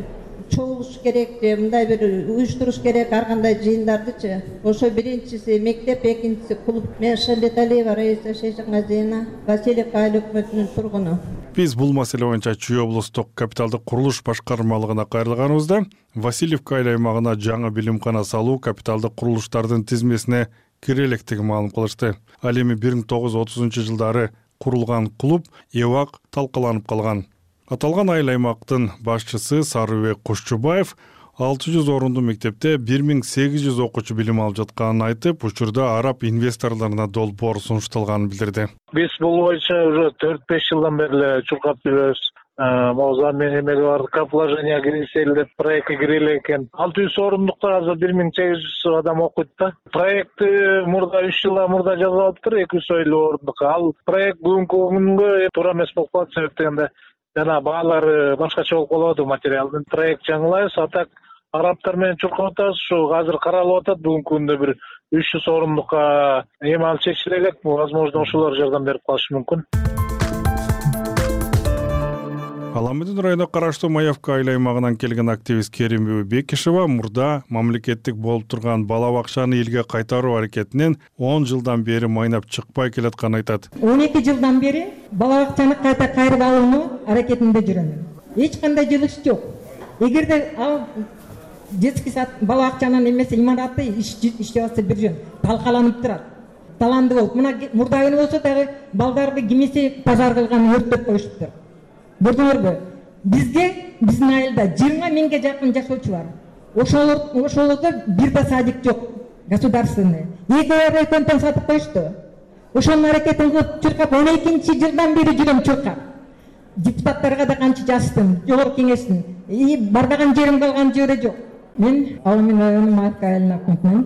чогулуш керек, мындай бир уюштуруш керек ар кандай жыйындардычы. Ошо биринчиси мектеп, экинчиси клуб. Мен Шамбеталиева Раиса Шейшангазиевна, Васильевка айыл өкмөтүнүн тургуну. Биз бул маселе боюнча Чүй облустук капиталдык курулуш башкармалыгына кайрылганыбызда Васильевка айыл аймагына жаңы билимкана салуу капиталдык курулуштардын тизмесине кире электигин маалым кылышты. Ал эми бир миң тогуз жүз отузунчу жылдары курулган клуб эбак талкаланып калган. Аталган айыл аймактын башчысы Сарыбек Кушчубаев алты жүз орундуу мектепте бир миң сегиз жүз окуучу билим алып жатканын айтып, учурда араб инвесторлоруна долбоор сунушталганын билдирди. Биз бул боюнча уже төрт беш жылдан бери эле чуркап жүрөбүз. Моза менен эмеге бар, капложение кирсел деп проектке кирели экен. алты жүз орундукта азыр бир миң сегиз жүз адам окуйт да. Проектти мурда үч жылдан мурда жазып алыптыр, эки жүз элүү орундук. Ал проект бүгүнкү күнгө туура эмес болуп калат, себеп дегенде жана баалары башкача болуп калат материалдын. Проект жаңылайбыз, атак арабтар менен чуркап атабыз. Ушу азыр каралып атат, бүгүнкү күндө бир үч жүз орундукка эми алып чечиле элек. Возможно, ошолор жардам берип калышы мүмкүн. Аламүдүн районуна караштуу Маевка айыл аймагынан келген активист Керим Бекишева мурда мамлекеттик болуп турган бала бакчаны элге кайтаруу аракетинен он жылдан бери майнап чыкпай келатканын айтат. он эки жылдан бери бала бакчаны кайта кайрып алуу аракетинде жүрөм. Эч кандай жылыш жок. Эгерде ал детский сад бала бакчанын эмеси имараты иштеп атса бир жөн талкаланып турат. Таланды болуп мына мурда күнү болсо дагы балдарды кимиси пожар кылган өрттөп коюшуптур. Көрдүңөрбү? Бизде биздин айылда жыйырма миңге жакын жашоочу бар. Ошолор ошолордо бир да садик жок государственный. Эки райкомдон сатып коюшту. Ошонун аракетин кылып чуркап он экинчи жылдан бери жүрөм чуркап. Депутаттарга да канча жаздым, жогорку кеңештин. И барбаган жерим калган жерде жок. Мен Алмин районунун Маевка айылына өкмөтүнөн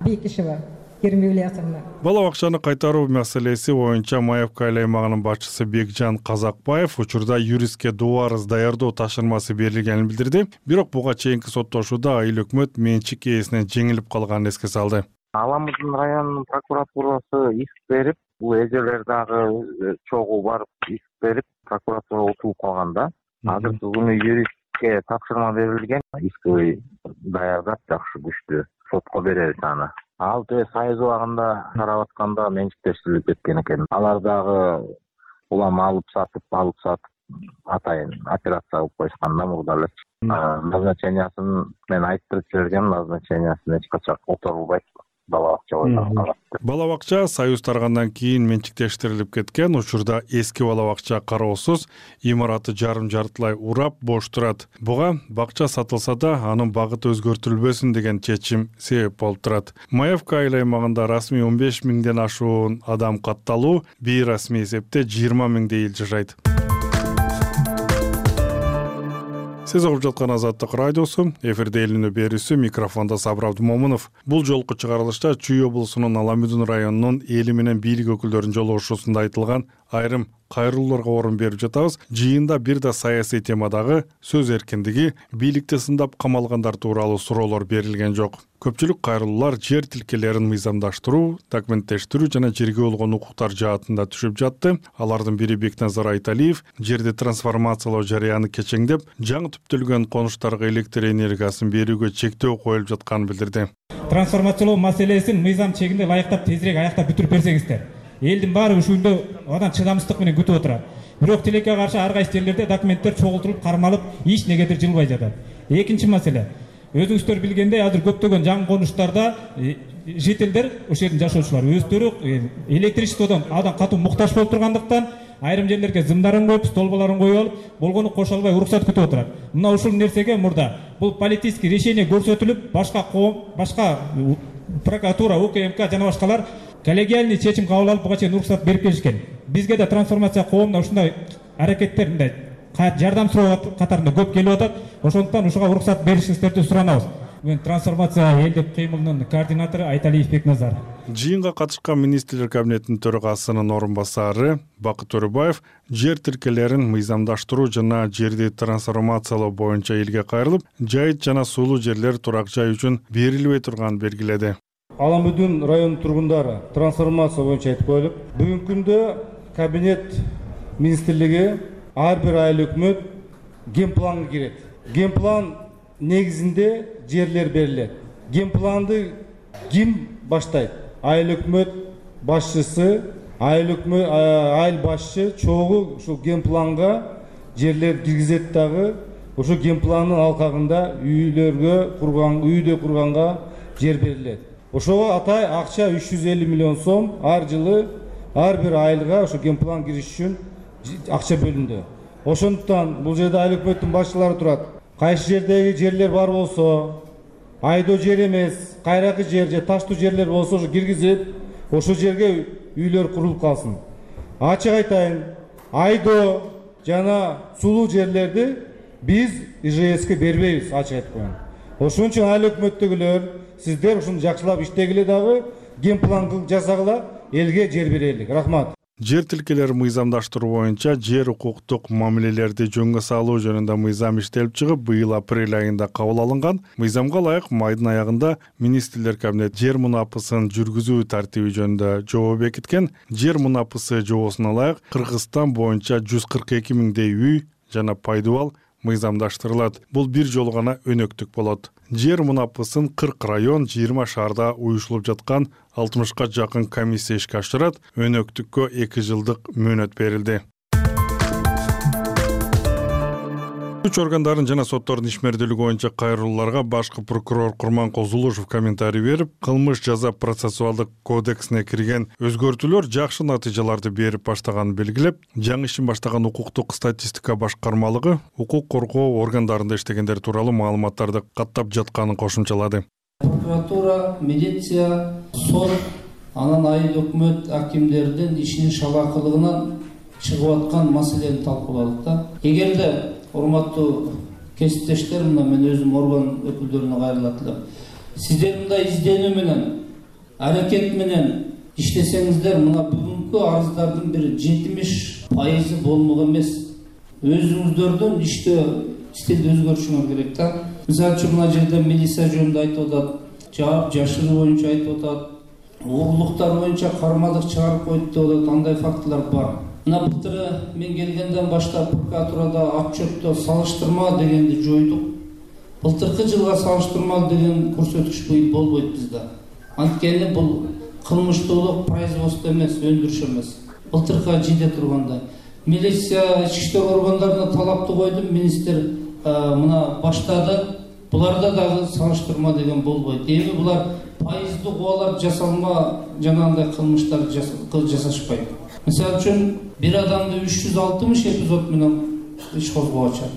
Бейкишева Керим Ильясовна. Бала бакчаны кайтаруу маселеси боюнча Маевка айыл аймагынын башчысы Бекжан Казакбаев учурда юристке доо арыз даярдоо тапшырмасы берилгенин билдирди. Бирок буга чейинки соттошууда айыл өкмөт менчик ээсинен жеңилип калганын эске салды. Аламыздын районунун прокуратурасы иск берип, бул эжелер дагы чогуу барып иск берип, прокуратура утулуп калганда, азыркы күнү юристке тапшырма берилген, искти даярдап жакшы күчтүү сотко беребиз аны. Ал те сайыз убагында карап атканда менчиктештирилип кеткен экен. Алар дагы улам алып сатып, алып сатып атайын операция кылып коюшкан да мурда эле. Назначениясын мен айтып жибергем, назначениясын эч качан которулбайт. Бала бакча бойдон калат. Бала бакча союз таргандан кийин менчиктештирилип кеткен. Учурда эски бала бакча кароосуз, имараты жарым жартылай урап бош турат. Буга бакча сатылса да анын багыты өзгөртүлбөсүн деген чечим себеп болуп турат. Маевка айыл аймагында расмий он беш миңден ашуун адам катталуу, бейрасмий эсепте жыйырма миңдей эл жашайт. Сиз угуп жаткан Азаттык радиосу, эфирде элинүү берүүсү, микрофондо Сабыр Абдумомунов. Бул жолку чыгарылышта Чүй облусунун Аламүдүн районунун эли менен бийлик өкүлдөрүнүн жолугушуусунда айтылган айрым кайрылууларга орун берип жатабыз. Жыйында бир да саясий темадагы сөз эркиндиги, бийликти сындап камалгандар тууралуу суроолор берилген жок. Көпчүлүк кайрылуулар жер тилкелерин мыйзамдаштыруу, документтештирүү жана жерге болгон укуктар жаатында түшүп жатты. Алардын бири Бекназар Айталиев жерди трансформациялоо жарыяны кечеңдеп, жаңы түптөлгөн конуштарга электр энергиясын берүүгө чектөө коюлуп жатканын билдирди. Трансформациялоо маселесин мыйзам чегинде ылайыктап тезирээк аяктап бүтүрүп берсеңиздер. Элдин баары ушунда адан чыдамсыздык менен күтүп отурат. Бирок тилекке каршы ар кайсы жерлерде документтер чогултулуп, кармалып, эч негедир жылбай жатат. Экинчи маселе. Өзүңүздөр билгендей, азыр көптөгөн жаңы конуштарда жителдер, ошол жердин жашоочулар өздөрү электричестводон адан катуу муктаж болуп тургандыктан айрым жерлерге зымдарын коюп, столбаларын коюп алып, болгону кошо албай уруксат күтүп отурат. Мына ушул нерсеге мурда бул политический решение көрсөтүлүп, башка коом, башка прокуратура, УКМК жана башкалар коллегиальный чечим кабыл алып, буга чейин уруксат берип келишкен. Бизге да трансформация коомуна ушундай аракеттер, мындай жардам суроо катарында көп келип атат. Ошондуктан ушуга уруксат беришиңиздерди суранабыз. Мен трансформация элдик кыймылынын координатору Айталиев Бекназар. Жыйынга катышкан министрлер кабинетинин төрагасынын орун басары Бакыт Төрөбаев жер тилкелерин мыйзамдаштыруу жана жерди трансформациялоо боюнча элге кайрылып, жайыт жана сулуу жерлер турак жай үчүн берилбей турганын белгиледи. Аламүдүн районунун тургундары трансформация боюнча айтып коелуп, бүгүнкү күндө кабинет министрлиги ар бир айыл өкмөт генпланга кирет. Генплан негизинде жерлер берилет. Генпланды ким баштайт? Айыл өкмөт башчысы, айыл өкмөт айыл башчы чогуу ушул генпланга жерлер киргизет дагы, ошо генпландын алкагында үйлөргө курган, үйдө курганга жер берилет. Ошого атай акча үч жүз элүү миллион сом ар жылы ар бир айылга ошо генплан кириш үчүн акча бөлүндү. Ошондуктан бул жерде айыл өкмөттүн башчылары турат. Кайсы жердеги жерлер бар болсо, айдоо жер эмес, кайракы жер же таштуу жерлер болсо ошо киргизип, ошол жерге үйлөр курулуп калсын. Ачык айтайын, айдоо жана сулуу жерлерди биз ИЖСке бербейбиз, ачык айтып коеюн. Ошон үчүн айыл өкмөттөгүлөр, сиздер ушуну жакшылап иштегиле дагы, генплан жасагыла, элге жер берелик. Рахмат. Жер тилкелери мыйзамдаштыруу боюнча жер укуктук мамилелерди жөнгө салуу жөнүндө мыйзам иштелип чыгып, быйыл апрель айында кабыл алынган. Мыйзамга ылайык майдын аягында министрлер кабинет жер мунапысын жүргүзүү тартиби жөнүндө жобо бекиткен. Жер мунапысы жобосуна ылайык Кыргызстан боюнча жүз кырк эки миңдей үй жана пайдубал мыйзамдаштырылат. Бул бир жолу гана өнөктүк болот. Жер мунапысын кырк район, жыйырма шаарда уюшулуп жаткан алтымышка жакын комиссия ишке ашырат. Өнөктүккө эки жылдык мөөнөт берилди. Күч органдарын жана соттордун ишмердүүлүгү боюнча кайрылууларга башкы прокурор Курманкул Зулушев комментарий берип, кылмыш жаза процессуалдык кодексине кирген өзгөртүүлөр жакшы натыйжаларды берип баштаганын белгилеп, жаңы ишин баштаган укуктук статистика башкармалыгы укук коргоо органдарында иштегендер тууралуу маалыматтарды каттап жатканын кошумчалады. Прокуратура, милиция, сот, анан айыл өкмөт акимдердин ишинин шалакылыгынан чыгып аткан маселени талкууладык да. Эгерде урматтуу кесиптештер, мына мен өзүм орган өкүлдөрүнө кайрылат элем. Сиздер мындай изденүү менен, аракет менен иштесеңиздер, мына бүгүнкү арыздардын бир жетимиш пайызы болмок эмес. Өзүңүздөрдүн иште стилди өзгөртүшүңөр керек да. Мисалы үчүн мына жерде милиция жөнүндө айтып атат, жаап жашыруу боюнча айтып атат, угурлуктар боюнча кармалык чыгарып койду деп атат, андай фактылар бар. Мына былтыры мен келгенден баштап прокуратурада отчетто салыштырма дегенди жойдук. Былтыркы жылга салыштырма деген көрсөткүч быйыл болбойт бизде. Анткени бул кылмыштуулук производство эмес, өндүрүш эмес. Былтыркыга жиде тургандай. Милиция, ички иштер органдарына талапты койдум, министр мына баштады. Буларда дагы салыштырма деген болбойт. Эми булар пайыздык убалар жасалма жанагындай кылмыштар жасашпайт. Мисалы үчүн бир адамды үч жүз алтымыш эпизод менен иш козгоочу.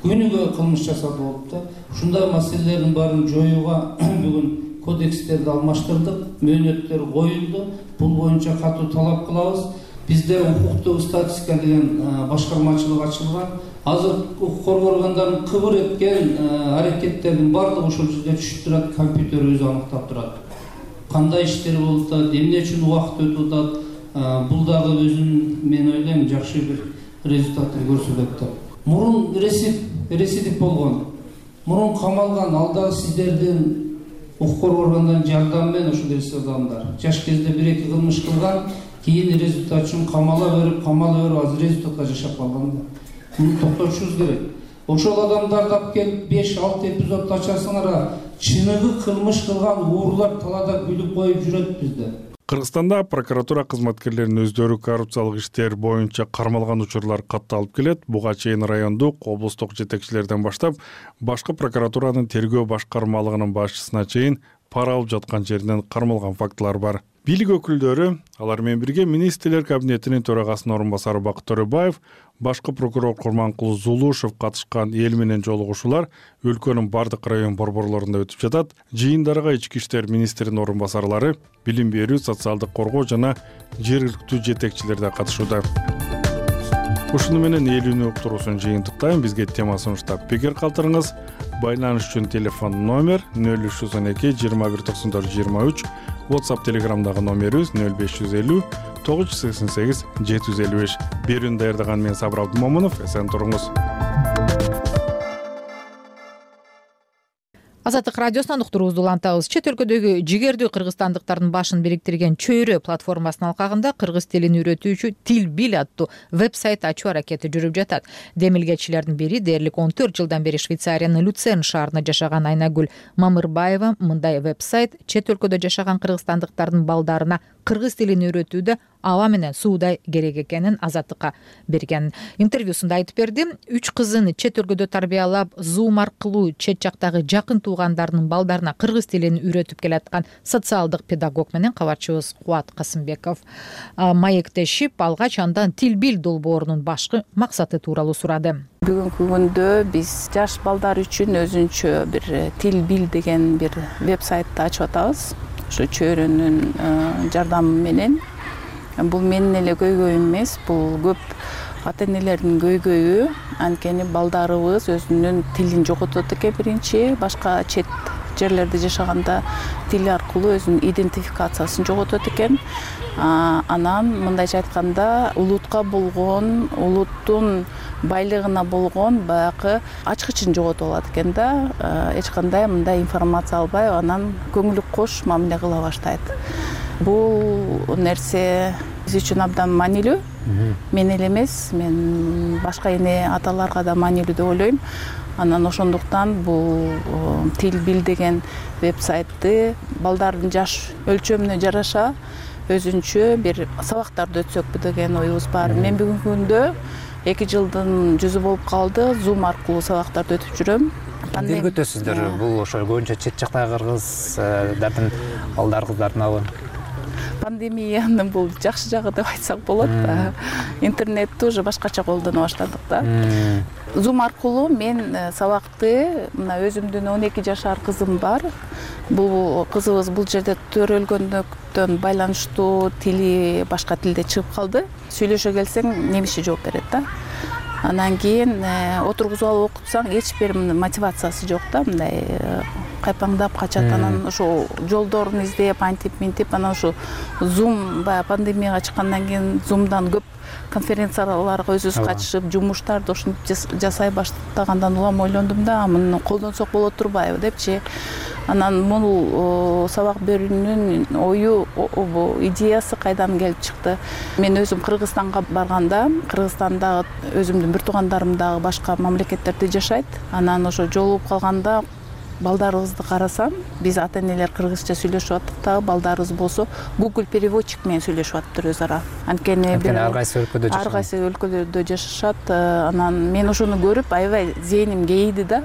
Күнүгө кылмыш жасап болуп да. Ушундай маселелердин баарын жоюуга бүгүн кодекстерди алмаштырдык, мөөнөттөр коюлду. Бул боюнча катуу талап кылабыз. Бизде укуктук статистика деген башкармачылык ачылган. Азыр укук коргоо органдарынын кыбыр эткен аракеттердин баардыгы ошол жерде түшүп турат, компьютер өзү аныктап турат. Кандай иштер болуп атат, эмне үчүн убакыт өтүп атат. Бул дагы өзүн мен ойлойм жакшы бир результатын көрсөтөт деп. Мурун ресидив болгон, мурун камалган, ал дагы сиздердин укук коргоо органдарынын жардамы менен ошол ресидив адамдар. Жаш кезде бир-эки кылмыш кылган, кийин результат үчүн камала берип, камала берип азыр результатка жашап калган да. Муну токтотушубуз керек. Ошол адамдарды алып келип беш алты эпизод ачасыңар, чыныгы кылмыш кылган уурлар талаада күлүп коюп жүрөт бизде. Кыргызстанда прокуратура кызматкерлеринин өздөрү коррупциялык иштер боюнча кармалган учурлар катталып келет. Буга чейин райондук, облустук жетекчилерден баштап, башкы прокуратуранын тергөө башкармалыгынын башчысына чейин пара алып жаткан жеринен кармалган фактылар бар. Бийлик өкүлдөрү, алар менен бирге министрлер кабинетинин төрагасынын орун басары Бакыт Төрөбаев, башкы прокурор Курманкул Зулушев катышкан эл менен жолугушуулар өлкөнүн бардык район борборлорунда өтүп жатат. Жыйындарга ички иштер министринин орун басарлары, билим берүү, социалдык коргоо жана жергиликтүү жетекчилер да катышууда. Ушуну менен эл үнү уктуруусун жыйынтыктайм. Бизге тема сунуштап пикир калтырыңыз. Байланыш үчүн телефон номер нөл үч жүз он эки жыйырма бир токсон төрт жыйырма үч, WhatsApp Telegramдагы номерибиз нөл беш жүз элүү тогуз жүз сексен сегиз жети жүз элүү беш. Берүүнү даярдаган мен Сабыр Абдымомунов. Эсен туруңуз. Азаттык радиосунан уктуруубузду улантабыз. Чет өлкөдөгү жигердүү кыргызстандыктардын башын бириктирген Чөйрө платформасынын алкагында кыргыз тилин үйрөтүүчү Тил Бил аттуу веб-сайт ачуу аракети жүрүп жатат. Демилгечилердин бири дээрлик он төрт жылдан бери Швейцариянын Люцерн шаарында жашаган Айнагүл Мамырбаева мындай веб-сайт чет өлкөдө жашаган кыргызстандыктардын балдарына кыргыз тилин үйрөтүүдө аба менен суудай керек экенин Азаттыкка берген интервьюсунда айтып берди. Үч кызын чет өлкөдө тарбиялап, Zoom аркылуу чет жактагы жакын туугандарынын балдарына кыргыз тилин үйрөтүп келаткан социалдык педагог менен кабарчыбыз Кубат Касымбеков маектешип, алгач андан Тил Бил долбоорунун башкы максаты тууралуу сурады. Бүгүнкү күндө биз жаш балдар үчүн өзүнчө бир Тил Бил деген бир веб-сайтты ачып атабыз. Ушу Чөйрөнүн жардамы менен. Бул менин эле көйгөйүм эмес, бул көп ата энелердин көйгөйү. Анткени балдарыбыз өзүнүн тилин жоготот экен биринчи, башка чет жерлерде жашаганда тил аркылуу өзүнүн идентификациясын жоготот экен. Анан мындайча айтканда улутка болгон, улуттун байлыгына болгон баягы ачкычын жоготуп алат экен да. Эч кандай мындай информация албай, анан көңүлү кош мамиле кыла баштайт. Бул нерсе биз үчүн абдан маанилүү. Мен эле эмес, мен башка эне аталарга да маанилүү деп ойлойм. Анан ошондуктан бул Тил Бил деген веб-сайтты балдардын жаш өлчөмүнө жараша өзүнчө бир сабактарды өтсөкпү деген оюбуз бар. Мен бүгүнкү күндө эки жылдын жүзү болуп калды. Zoom аркылуу сабактарды өтүп жүрөм. Кандай өтөсүздөр? Бул ошо көбүнчө чет жактагы кыргыздардын балдар кыздарынабы? Пандемиянын бул жакшы жагы деп айтсак болот. Интернетти уже башкача колдоно баштадык да. Zoom аркылуу мен сабакты мына өзүмдүн он эки жашар кызым бар. Бул кызыбыз бул жерде төрөлгөндүктөн байланыштуу тили башка тилде чыгып калды. Сүйлөшө келсең немисче жооп берет да. Анан кийин отургузуп алып окутсаң эч бир мотивациясы жок да, мындай кайпаңдап качат. Анан ошо жолдорун издеп, антип минтип, анан ошо Zoom баягы пандемияга чыккандан кийин Zoom'дан көп конференцияларга өзүбүз катышып, жумуштарды ошентип жасай баштагандан улам ойлондум да, муну колдонсок боло турбайбы депчи. Анан бул сабак берүүнүн ою, идеясы кайдан келип чыкты? Мен өзүм Кыргызстанга барганда, Кыргызстандагы өзүмдүн бир туугандарым дагы башка мамлекеттерде жашайт. Анан ошо жолугуп калганда балдарыбызды карасам, биз ата-энелер кыргызча сүйлөшүп аттык дагы, балдарыбыз болсо Google переводчик менен сүйлөшүп аттыр өз ара. Анткени ар кайсы өлкөдө жашашат. Ар кайсы өлкөдө жашашат. Анан мен ошону көрүп аябай зээним кейиди да.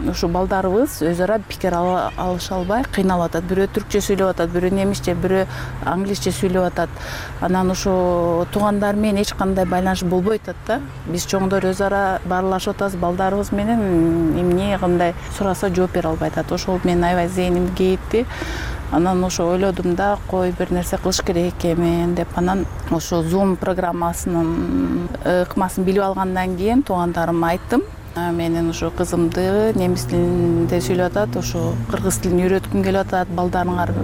Ушу балдарыбыз өз ара пикир алыша албай кыйналып атат. Бирөө түркчө сүйлөп атат, бирөө немисче, бирөө англисче сүйлөп атат. Анан ошо туугандар менен эч кандай байланыш болбой атат да. Биз чоңдор өз ара баарлашып атабыз, балдарыбыз менен эмне кандай сураса жооп бере албай атат. Ошол мен аябай зээним кейитти. Анан ошо ойлодум да, кой бир нерсе кылыш керек экенмин деп. Анан ошо Zoom программасынын ыкмасын билип алгандан кийин туугандарыма айттым. Менин ошо кызымды немис тилинде сүйлөп атат, ошо кыргыз тилин үйрөткүм келип атат, балдарыңар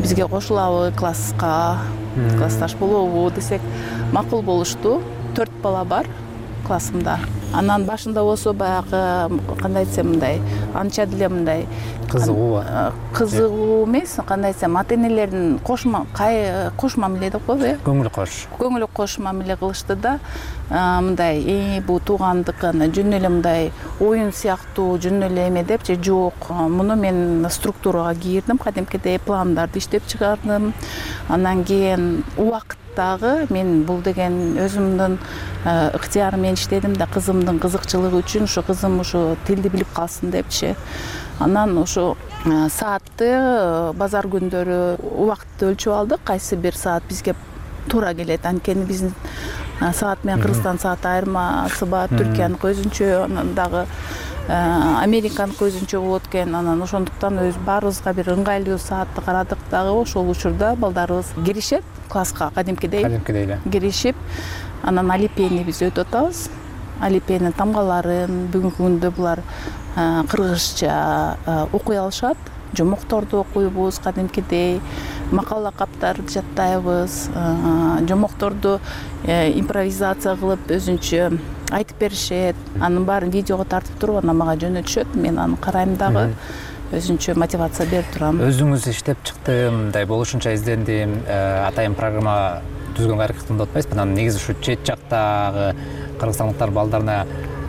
бизге кошулабы класска, классташ болобу десек макул болушту. Төрт бала бар классымда. Анан башында болсо баягы кандай десем мындай, анча деле мындай кызыгуу. Кызыгуу эмес, кандай десем, ата-энелердин кошма, кош мамиле деп коебу, э? Көңүл кош. Көңүл кош мамиле кылышты да. Мындай, "Э, бул туугандык, жөн эле мындай оюн сыяктуу, жөн эле эме депчи, жок. Муну мен структурага кирдим, кадимкидей пландарды иштеп чыгардым. Анан кийин убакыт дагы мен бул деген өзүмдүн ыктыярым менен иштедим да, кызымдын кызыкчылыгы үчүн, ошо кызым ошо тилди билип калсын депчи. Анан ошо саатты базар күндөрү убакытты өлчөп алдык, кайсы бир саат бизге туура келет. Анткени биздин саат менен Кыргызстан сааты айырмасы бар, Түркияныкы өзүнчө, анан дагы Американыкы өзүнчө болот экен. Анан ошондуктан өз баарыбызга бир ыңгайлуу саатты карадык дагы. Ошол учурда балдарыбыз киришет класска кадимкидей. Кадимкидей эле. Киришип, анан алипени биз өтүп атабыз. Алипенин тамгаларын бүгүнкү күндө булар кыргызча окуй алышат. Жомокторду окуйбуз кадимкидей, макала каптарды жаттайбыз, жомокторду импровизация кылып өзүнчө айтып беришет. Анын баарын видеого тартып туруп, анан мага жөнөтүшөт. Мен аны карайм дагы. Өзүнчө мотивация берип турам. Өзүңүз иштеп чыкты, мындай болушунча издендим, атайын программа түзгөнгө аракет кылдым деп атпайсызбы? Анан негизи ушу чет жактагы кыргызстандыктар балдарына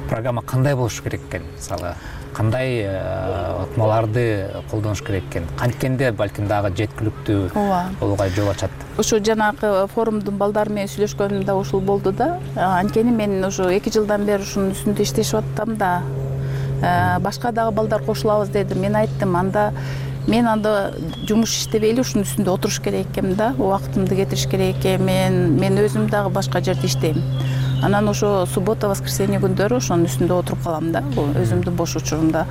программа кандай болуш керек экен? Мисалы, кандай ыкмаларды колдонуш керек экен? Анткенде балким дагы жеткиликтүү болууга жол ачат. Ошо жанагы форумдун балдары менен сүйлөшкөнүм да ушул болду да. Анткени мен ошо эки жылдан бери ушунун үстүндө иштешип аттым да. Башка дагы балдар кошулабыз дедим. Мен айттым, анда мен анда жумуш иштебейли ушунун үстүндө отуруш керек экенмин да, убактымды кетириш керек экен. Мен мен өзүм дагы башка жерде иштейм. Анан ошо суббота, воскресенье күндөрү ошонун үстүндө отуруп калам да, өзүмдүн бош учурумда.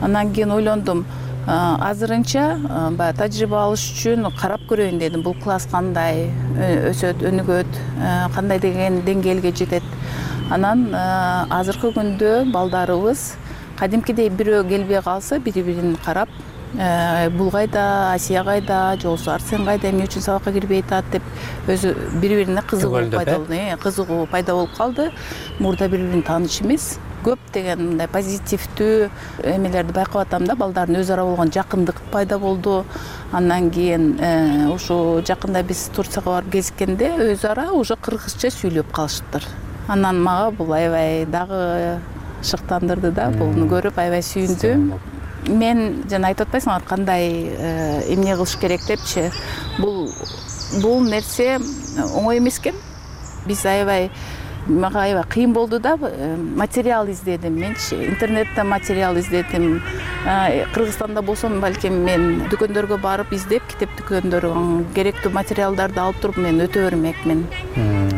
Анан кийин ойлондум, азырынча баягы тажрыйба алыш үчүн карап көрөйүн дедим. Бул класс кандай өсөт, өнүгөт, кандай деген деңгээлге жетет. Анан азыркы күндө балдарыбыз кадимкидей бирөө келбей калса, бири-бирин карап, бул кайда, Асия кайда, же болбосо Арсен кайда, эмне үчүн сабакка кирбей атат деп өзү бири-бирине кызыгуу пайда болду. Кызыгуу пайда болуп калды. Мурда бири-бирин тааныш эмес, көп деген мындай позитивдүү эмелерди байкап атам да. Балдардын өз ара болгон жакындык пайда болду. Андан кийин ушу жакында биз Турцияга барып кезиккенде өз ара уже кыргызча сүйлөп калышыптыр. Анан мага бул аябай дагы шыктандырды да. Буну көрүп аябай сүйүндүм. Мен жана айтып атпайсыңбы, кандай эмне кылыш керек депчи. Бул бул нерсе оңой эмес экен. Биз аябай мага аябай кыйын болду да. Материал издедим менчи, интернеттен материал издедим. Кыргызстанда болсом балким мен дүкөндөргө барып издеп, китеп дүкөндөрү керектүү материалдарды алып туруп мен өтө бермекмин.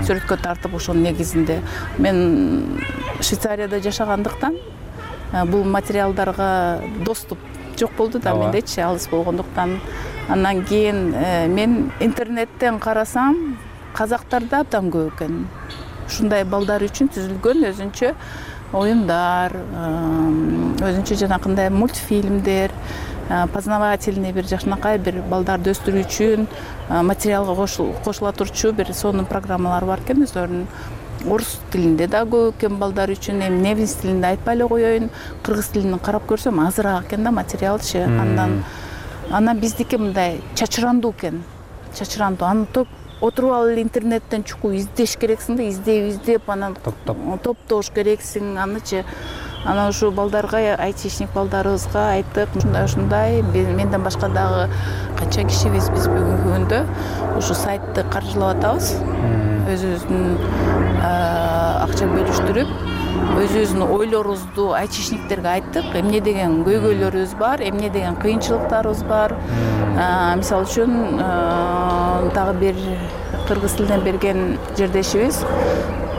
Сүрөткө тартып ошонун негизинде. Мен Швейцарияда жашагандыктан бул материалдарга доступ жок болду да мендечи, алыс болгондуктан. Андан кийин мен интернеттен карасам, казактарда абдан көп экен. Ушундай балдар үчүн түзүлгөн өзүнчө оюндар, өзүнчө жанакындай мультфильмдер, познавательный бир жакшынакай бир балдарды өстүрүү үчүн материалга кошула турчу бир сонун программалар бар экен өздөрүнүн. Орус тилинде да көп экен балдар үчүн, эми немис тилинде айтпай эле коеюн, кыргыз тилинен карап көрсөм азыраак экен да материалчы. Андан анан биздики мындай чачырандуу экен. Чачырандуу. Аны отуруп алып эле интернеттен чукуп издеш керексиң да, издеп издеп анан топтош керексиң анычы. Анан ушу балдарга, айтишник балдарыбызга айттык, ушундай ушундай менден башка дагы канча кишибиз биз бүгүнкү күндө ушу сайтты каржылап атабыз. Өзүбүздүн акча бөлүштүрүп, өзүбүздүн ойлорубузду айтишниктерге айттык. Эмне деген көйгөйлөрүбүз бар, эмне деген кыйынчылыктарыбыз бар. Мисалы үчүн дагы бир кыргыз тилинен берген жердешибиз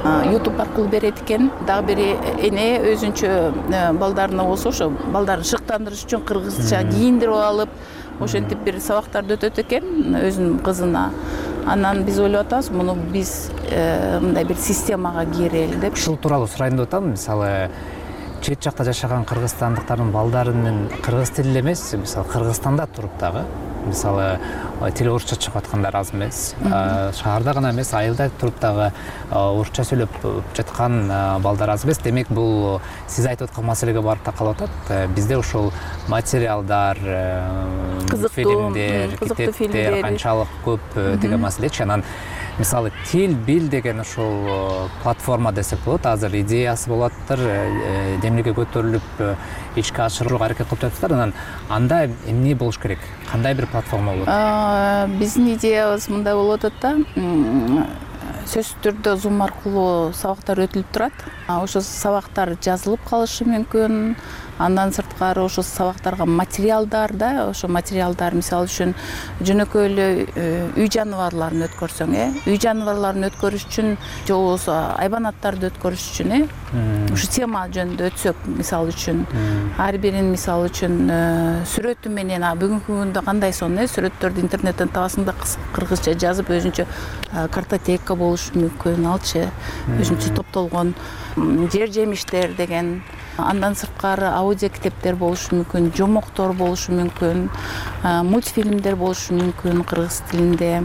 YouTube аркылуу берет экен. Дагы бир эне өзүнчө балдарына болсо ошо балдарын шыктандырыш үчүн кыргызча кийиндирип алып, ошентип бир сабактарды өтөт экен өзүнүн кызына. Анан биз ойлоп атабыз, муну биз мындай бир системага кирели деп. Ушул тууралуу сурайын деп атам. Мисалы, чет жакта жашаган кыргызстандыктардын балдарынын кыргыз тили эмес, мисалы Кыргызстанда туруп дагы, мисалы тили орусча чыгып аткандар аз эмес. Шаарда гана эмес, айылда туруп дагы орусча сөйлөп жаткан балдар аз эмес. Демек, бул сиз айтып аткан маселеге барып такалып атат. Бизде ошол материалдар, фильмдер, китептер канчалык көп деген маселечи. Анан мисалы тил бил деген ошол платформа десек болот. Азыр идеясы болуптыр, демилге көтөрүлүп ишке ашырууга аракет кылып жатыптыр. Анан анда эмне болуш керек? Кандай бир платформа болот? Биздин идеябыз мындай болуп атат да. Сөзсүз түрдө Zoom аркылуу сабактар өтүлүп турат. Ошо сабактар жазылып калышы мүмкүн. Андан сырткары ошо сабактарга материалдар да, ошо материалдар мисалы үчүн жөнөкөй эле үй жаныбарларын өткөрсөң, э, үй жаныбарларын өткөрүш үчүн же болбосо айбанаттарды өткөрүш үчүн, э, ушу тема жөнүндө өтсөк, мисалы үчүн ар бирин мисалы үчүн сүрөтү менен, бүгүнкү күндө кандай сон, э, сүрөттөрдү интернеттен табасың да кыргызча жазып өзүнчө картотека болушу мүмкүн, алчы өзүнчө топтолгон жер жемиштер деген. Андан сырткары аудио китептер болушу мүмкүн, жомоктор болушу мүмкүн, мультфильмдер болушу мүмкүн кыргыз тилинде.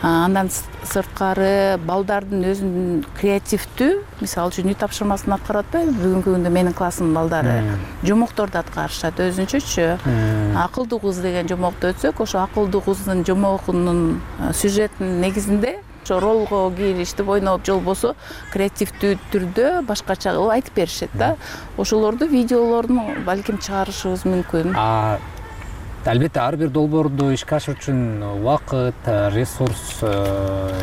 Андан сырткары балдардын өзүнүн креативдүү, мисалы үчүн үй тапшырмасын аткарат да, бүгүнкү күндө менин класстын балдары жомокторду аткарышат өзүнчөчү. Акылдуу кыз деген жомокту өтсөк, ошо акылдуу кыздын жомогунун сюжетинин негизинде ошо ролго киришип ойноп, же болбосо креативдүү түрдө башкача кылып айтып беришет да. Ошолорду видеолорун балким чыгарышыбыз мүмкүн. Албетте ар бир долбоорду ишке ашыруу үчүн убакыт, ресурс,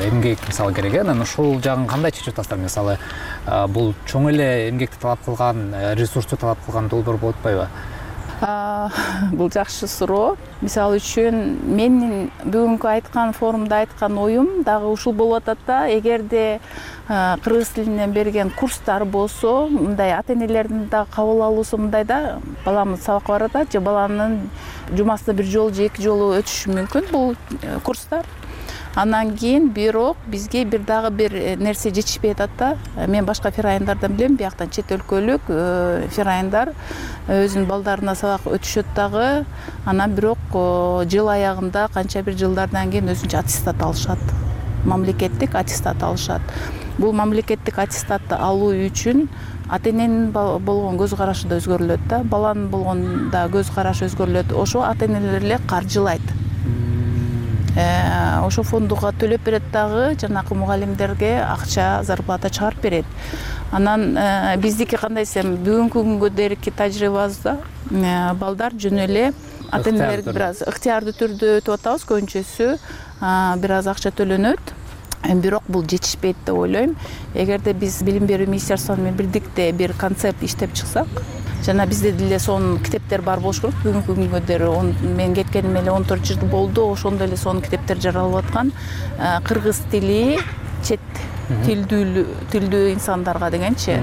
эмгек мисалы керек. Анан ушул жагын кандай чечип атасыздар? Мисалы, бул чоң эле эмгекти талап кылган, ресурсту талап кылган долбоор болуп атпайбы? Бул жакшы суроо. Мисалы үчүн менин бүгүнкү айткан форумда айткан оюм дагы ушул болуп атат да. Эгерде кыргыз тилинен берген курстар болсо, мындай ата-энелердин да кабыл алуусу мындай да, баламыз сабакка барат да, же баланын жумасына бир жолу же эки жолу өтүшү мүмкүн бул курстар. Андан кийин бирок бизге бир дагы бир нерсе жетишпей атат да. Мен башка фирайындардан билем, бияктан чет өлкөлүк фирайындар өзүнүн балдарына сабак өтүшөт дагы. Анан бирок жыл аягында канча бир жылдардан кийин өзүнчө аттестат алышат. Мамлекеттик аттестат алышат. Бул мамлекеттик аттестатты алуу үчүн ата-эненин болгон көз карашы да өзгөрүлөт да. Баланын болгондо көз карашы өзгөрүлөт. Ошо ата-энелер эле каржылайт. Ошо фондуга төлөп берет дагы, жанакы мугалимдерге акча, зарплата чыгарып берет. Анан биздики кандай десем, бүгүнкү күнгө дейинки тажрыйбабызда балдар жөн эле ата-энелерге бир аз ыктыярдуу түрдө өтүп атабыз, көбүнчөсү бир аз акча төлөнөт. бирок бул жетишпейт деп ойлойм. Эгерде биз билим берүү министерствосу менен бирдикте бир концепт иштеп чыксак, жана бизде деле сонун китептер бар болуш керек. Бүгүнкү күнгө дейин мен кеткениме эле он төрт жыл болду. Ошондо эле сонун китептер жаралып аткан. Кыргыз тили чет тилдүү тилдүү инсандарга дегенчи.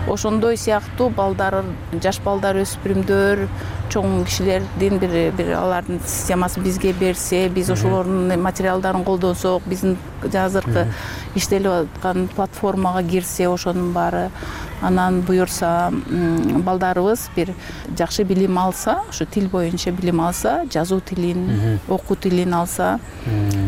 Ошондой сыяктуу балдар, жаш балдар, өспүрүмдөр, чоң кишилердин бир бир алардын системасын бизге берсе, биз ошолордун материалдарын колдонсок, биздин азыркы иштелип аткан платформага кирсе, ошонун баары, анан буюрса балдарыбыз бир жакшы билим алса, ошо тил боюнча билим алса, жазуу тилин, окуу тилин алса,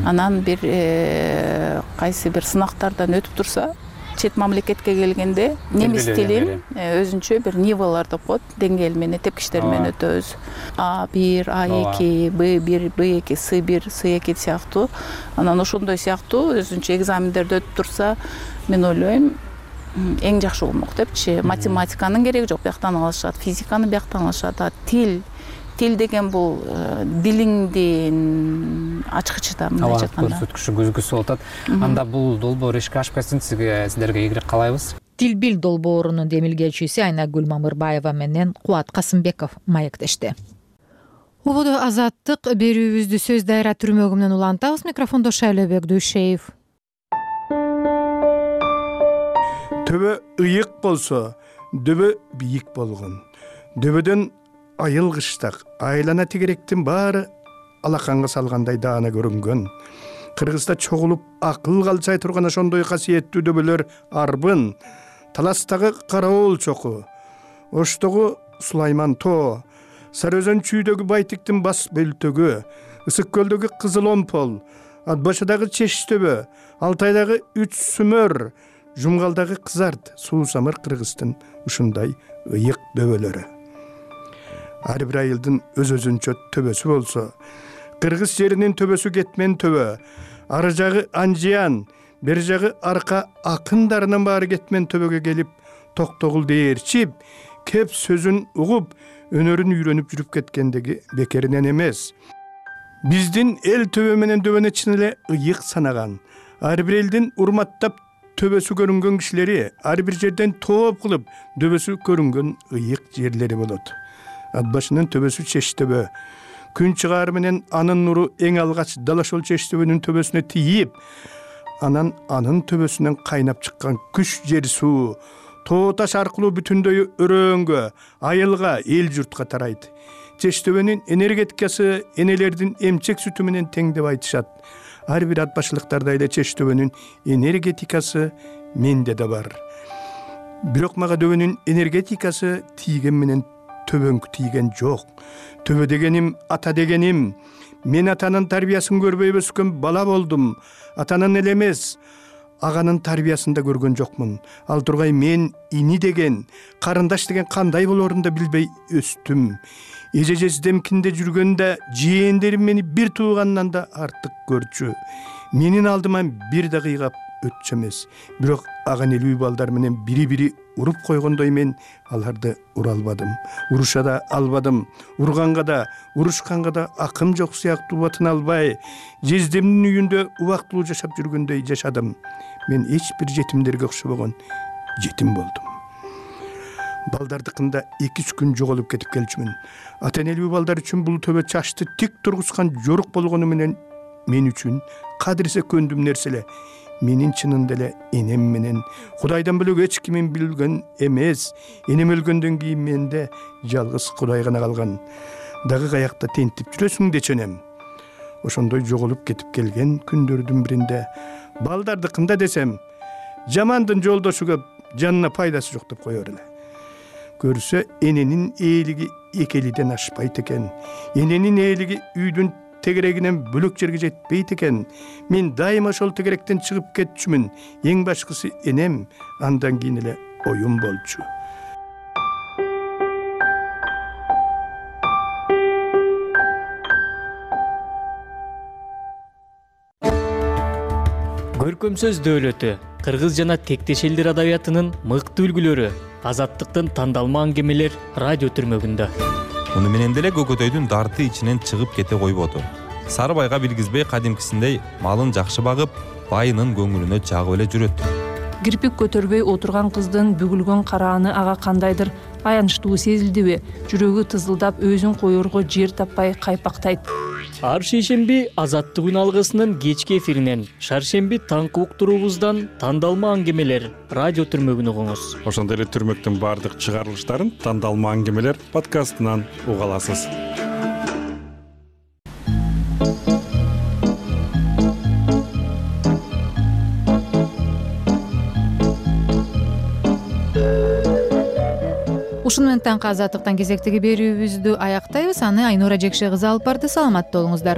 анан бир кайсы бир сынактардан өтүп турса, чет мамлекетке келгенде немис тилин өзүнчө бир нивалар деп коет, деңгээл менен, тепкичтер менен өтөбүз. А бир, А эки, Б бир, Б эки, С бир, С эки сыяктуу. Анан ошондой сыяктуу өзүнчө экзамендерди өтүп турса, мен ойлойм, эң жакшы болмок депчи. Математиканын кереги жок, бияктан алышат, физиканы бияктан алышат. А тил Тил деген бул дилиңдин ачкычы да, мындай айтканда. Көрсөткүчү, көзгүсү болуп атат. Анда бул долбоор ишке ашпасын, сизге сиздерге ийгилик каалайбыз. Тил бил долбоорунун демилгечиси Айнагүл Мамырбаева менен Кубат Касымбеков маектешти. Убуду Азаттык берүүбүздү сөз дайра түрмөгү менен улантабыз. Микрофондо Шайлебек Дүйшеев. Төбө ыйык болсо, дөбө бийик болгон. Дөбөдөн айыл кыштак, айлана тегеректин баары алаканга салгандай даана көрүнгөн. Кыргызда чогулуп акыл калчай турган ошондой касиеттүү дөбөлөр арбын, Таластагы Караоол чоку, Оштогу Сулайман тоо, Сары Өзөн чүйдөгү Байтиктин бас бөлтөгү, Ысык көлдөгү Кызыл Омпол, Атбашыдагы Чештөбө, Алтайдагы Үч Сүмөр, Жумгалдагы Кызарт, Суусамыр Кыргыздын ушундай ыйык дөбөлөрү. Ар бир айылдын өз-өзүнчө төбөсү болсо, кыргыз жеринин төбөсү кетмен төбө, ары жагы Анжиян, бери жагы арка акындарынын баары кетмен төбөгө келип, токтогул дээрчип, кеп сөзүн угуп, өнөрүн үйрөнүп жүрүп кеткендеги бекеринен эмес. Биздин эл төбө менен дөбөнү чын эле ыйык санаган, ар бир элдин урматтап төбөсү көрүнгөн кишилери, ар бир жерден тооп кылып дөбөсү көрүнгөн ыйык жерлери болот. Атбашынын төбөсү Чештөбө. Күн чыгары менен анын нуру эң алгач Далашол Чештөбөнүн төбөсүнө тийип, анан анын төбөсүнөн кайнап чыккан күч жер суу тоо таш аркылуу бүтүндөй өрөөнгө, айылга, эл журтка тарайт. Чештөбөнүн энергетикасы энелердин эмчек сүтү менен тең деп айтышат. Ар бир атбашылыктарда эле Чештөбөнүн энергетикасы менде да бар. Бирок мага дөбөнүн энергетикасы тийген менен төбөңкү тийген жок. Төбө дегеним ата дегеним. Мен атанын тарбиясын көрбөй өскөн бала болдум. Атанын эле эмес, аганын тарбиясын да көргөн жокмун. Ал тургай мен ини деген, карындаш деген кандай болоорун да билбей өстүм. Эже жездемкинде жүргөндө жээндерим мени бир туугандан да артык көрчү. Менин алдыма бир да кыйгап өтчү эмес. Бирок аган элүү балдар менен бири-бири уруп койгондой мен аларды ура албадым. Уруша да албадым. Урганга да, урушканга да акым жок сыяктуу батын албай, жездемдин үйүндө убактылуу жашап жүргөндөй жашадым. Мен эч бир жетимдерге окшобогон жетим болдум. Балдардыкында эки-үч күн жоголуп кетип келчүмүн. Ата-энелүү балдар үчүн бул төбө чачты тик тургузган жорук болгону менен мен үчүн кадырсе көндүм нерселе. Менин чынында эле энем менен Кудайдан бөлөк эч кимин билген эмес. Энем өлгөндөн кийин менде жалгыз Кудай гана калган. Дагы каякта тентип жүрөсүң деченем. Ошондой жоголуп кетип келген күндөрдүн биринде балдардыкында десем, жамандын жолдошу көп, жанына пайдасы жок деп коёр эле. Көрсө эненин ээлиги экелиден ашпайт экен. Эненин ээлиги үйдүн тегерегинен бөлөк жерге жетпейт экен. Мен дайыма ошол тегеректен чыгып кетчүмүн. Эң башкысы энем, андан кийин эле оюм болчу. Көркөм сөз дөөлөтү, кыргыз жана тектеш элдер адабиятынын мыкты үлгүлөрү, Азаттыктын тандалма аңгемелер радио түрмөгүндө. Муну менен деле көкөтөйдүн дарты ичинен чыгып кете койбоду. Сарыбайга билгизбей кадимкисиндей малын жакшы багып, байынын көңүлүнө жагып эле жүрөт. Кирпик көтөрбөй отурган кыздын бүгүлгөн карааны ага кандайдыр аянычтуу сезилдиби? Жүрөгү тызылдап, өзүн коерго жер таппай кайпактайт. Ар шейшемби Азаттык үн алгысынын кечки эфиринен, шаршемби таңкы уктуруубуздан тандалма аңгемелер радио түрмөгүн угуңуз. Ошондой эле түрмөктүн баардык чыгарылыштарын тандалма аңгемелер подкастынан уга аласыз. Ушун менен таңкы Азаттыктан кезектеги берүүбүздү аяктайбыз. Аны Айнура Жекше кызы алып барды. Саламатта болуңуздар.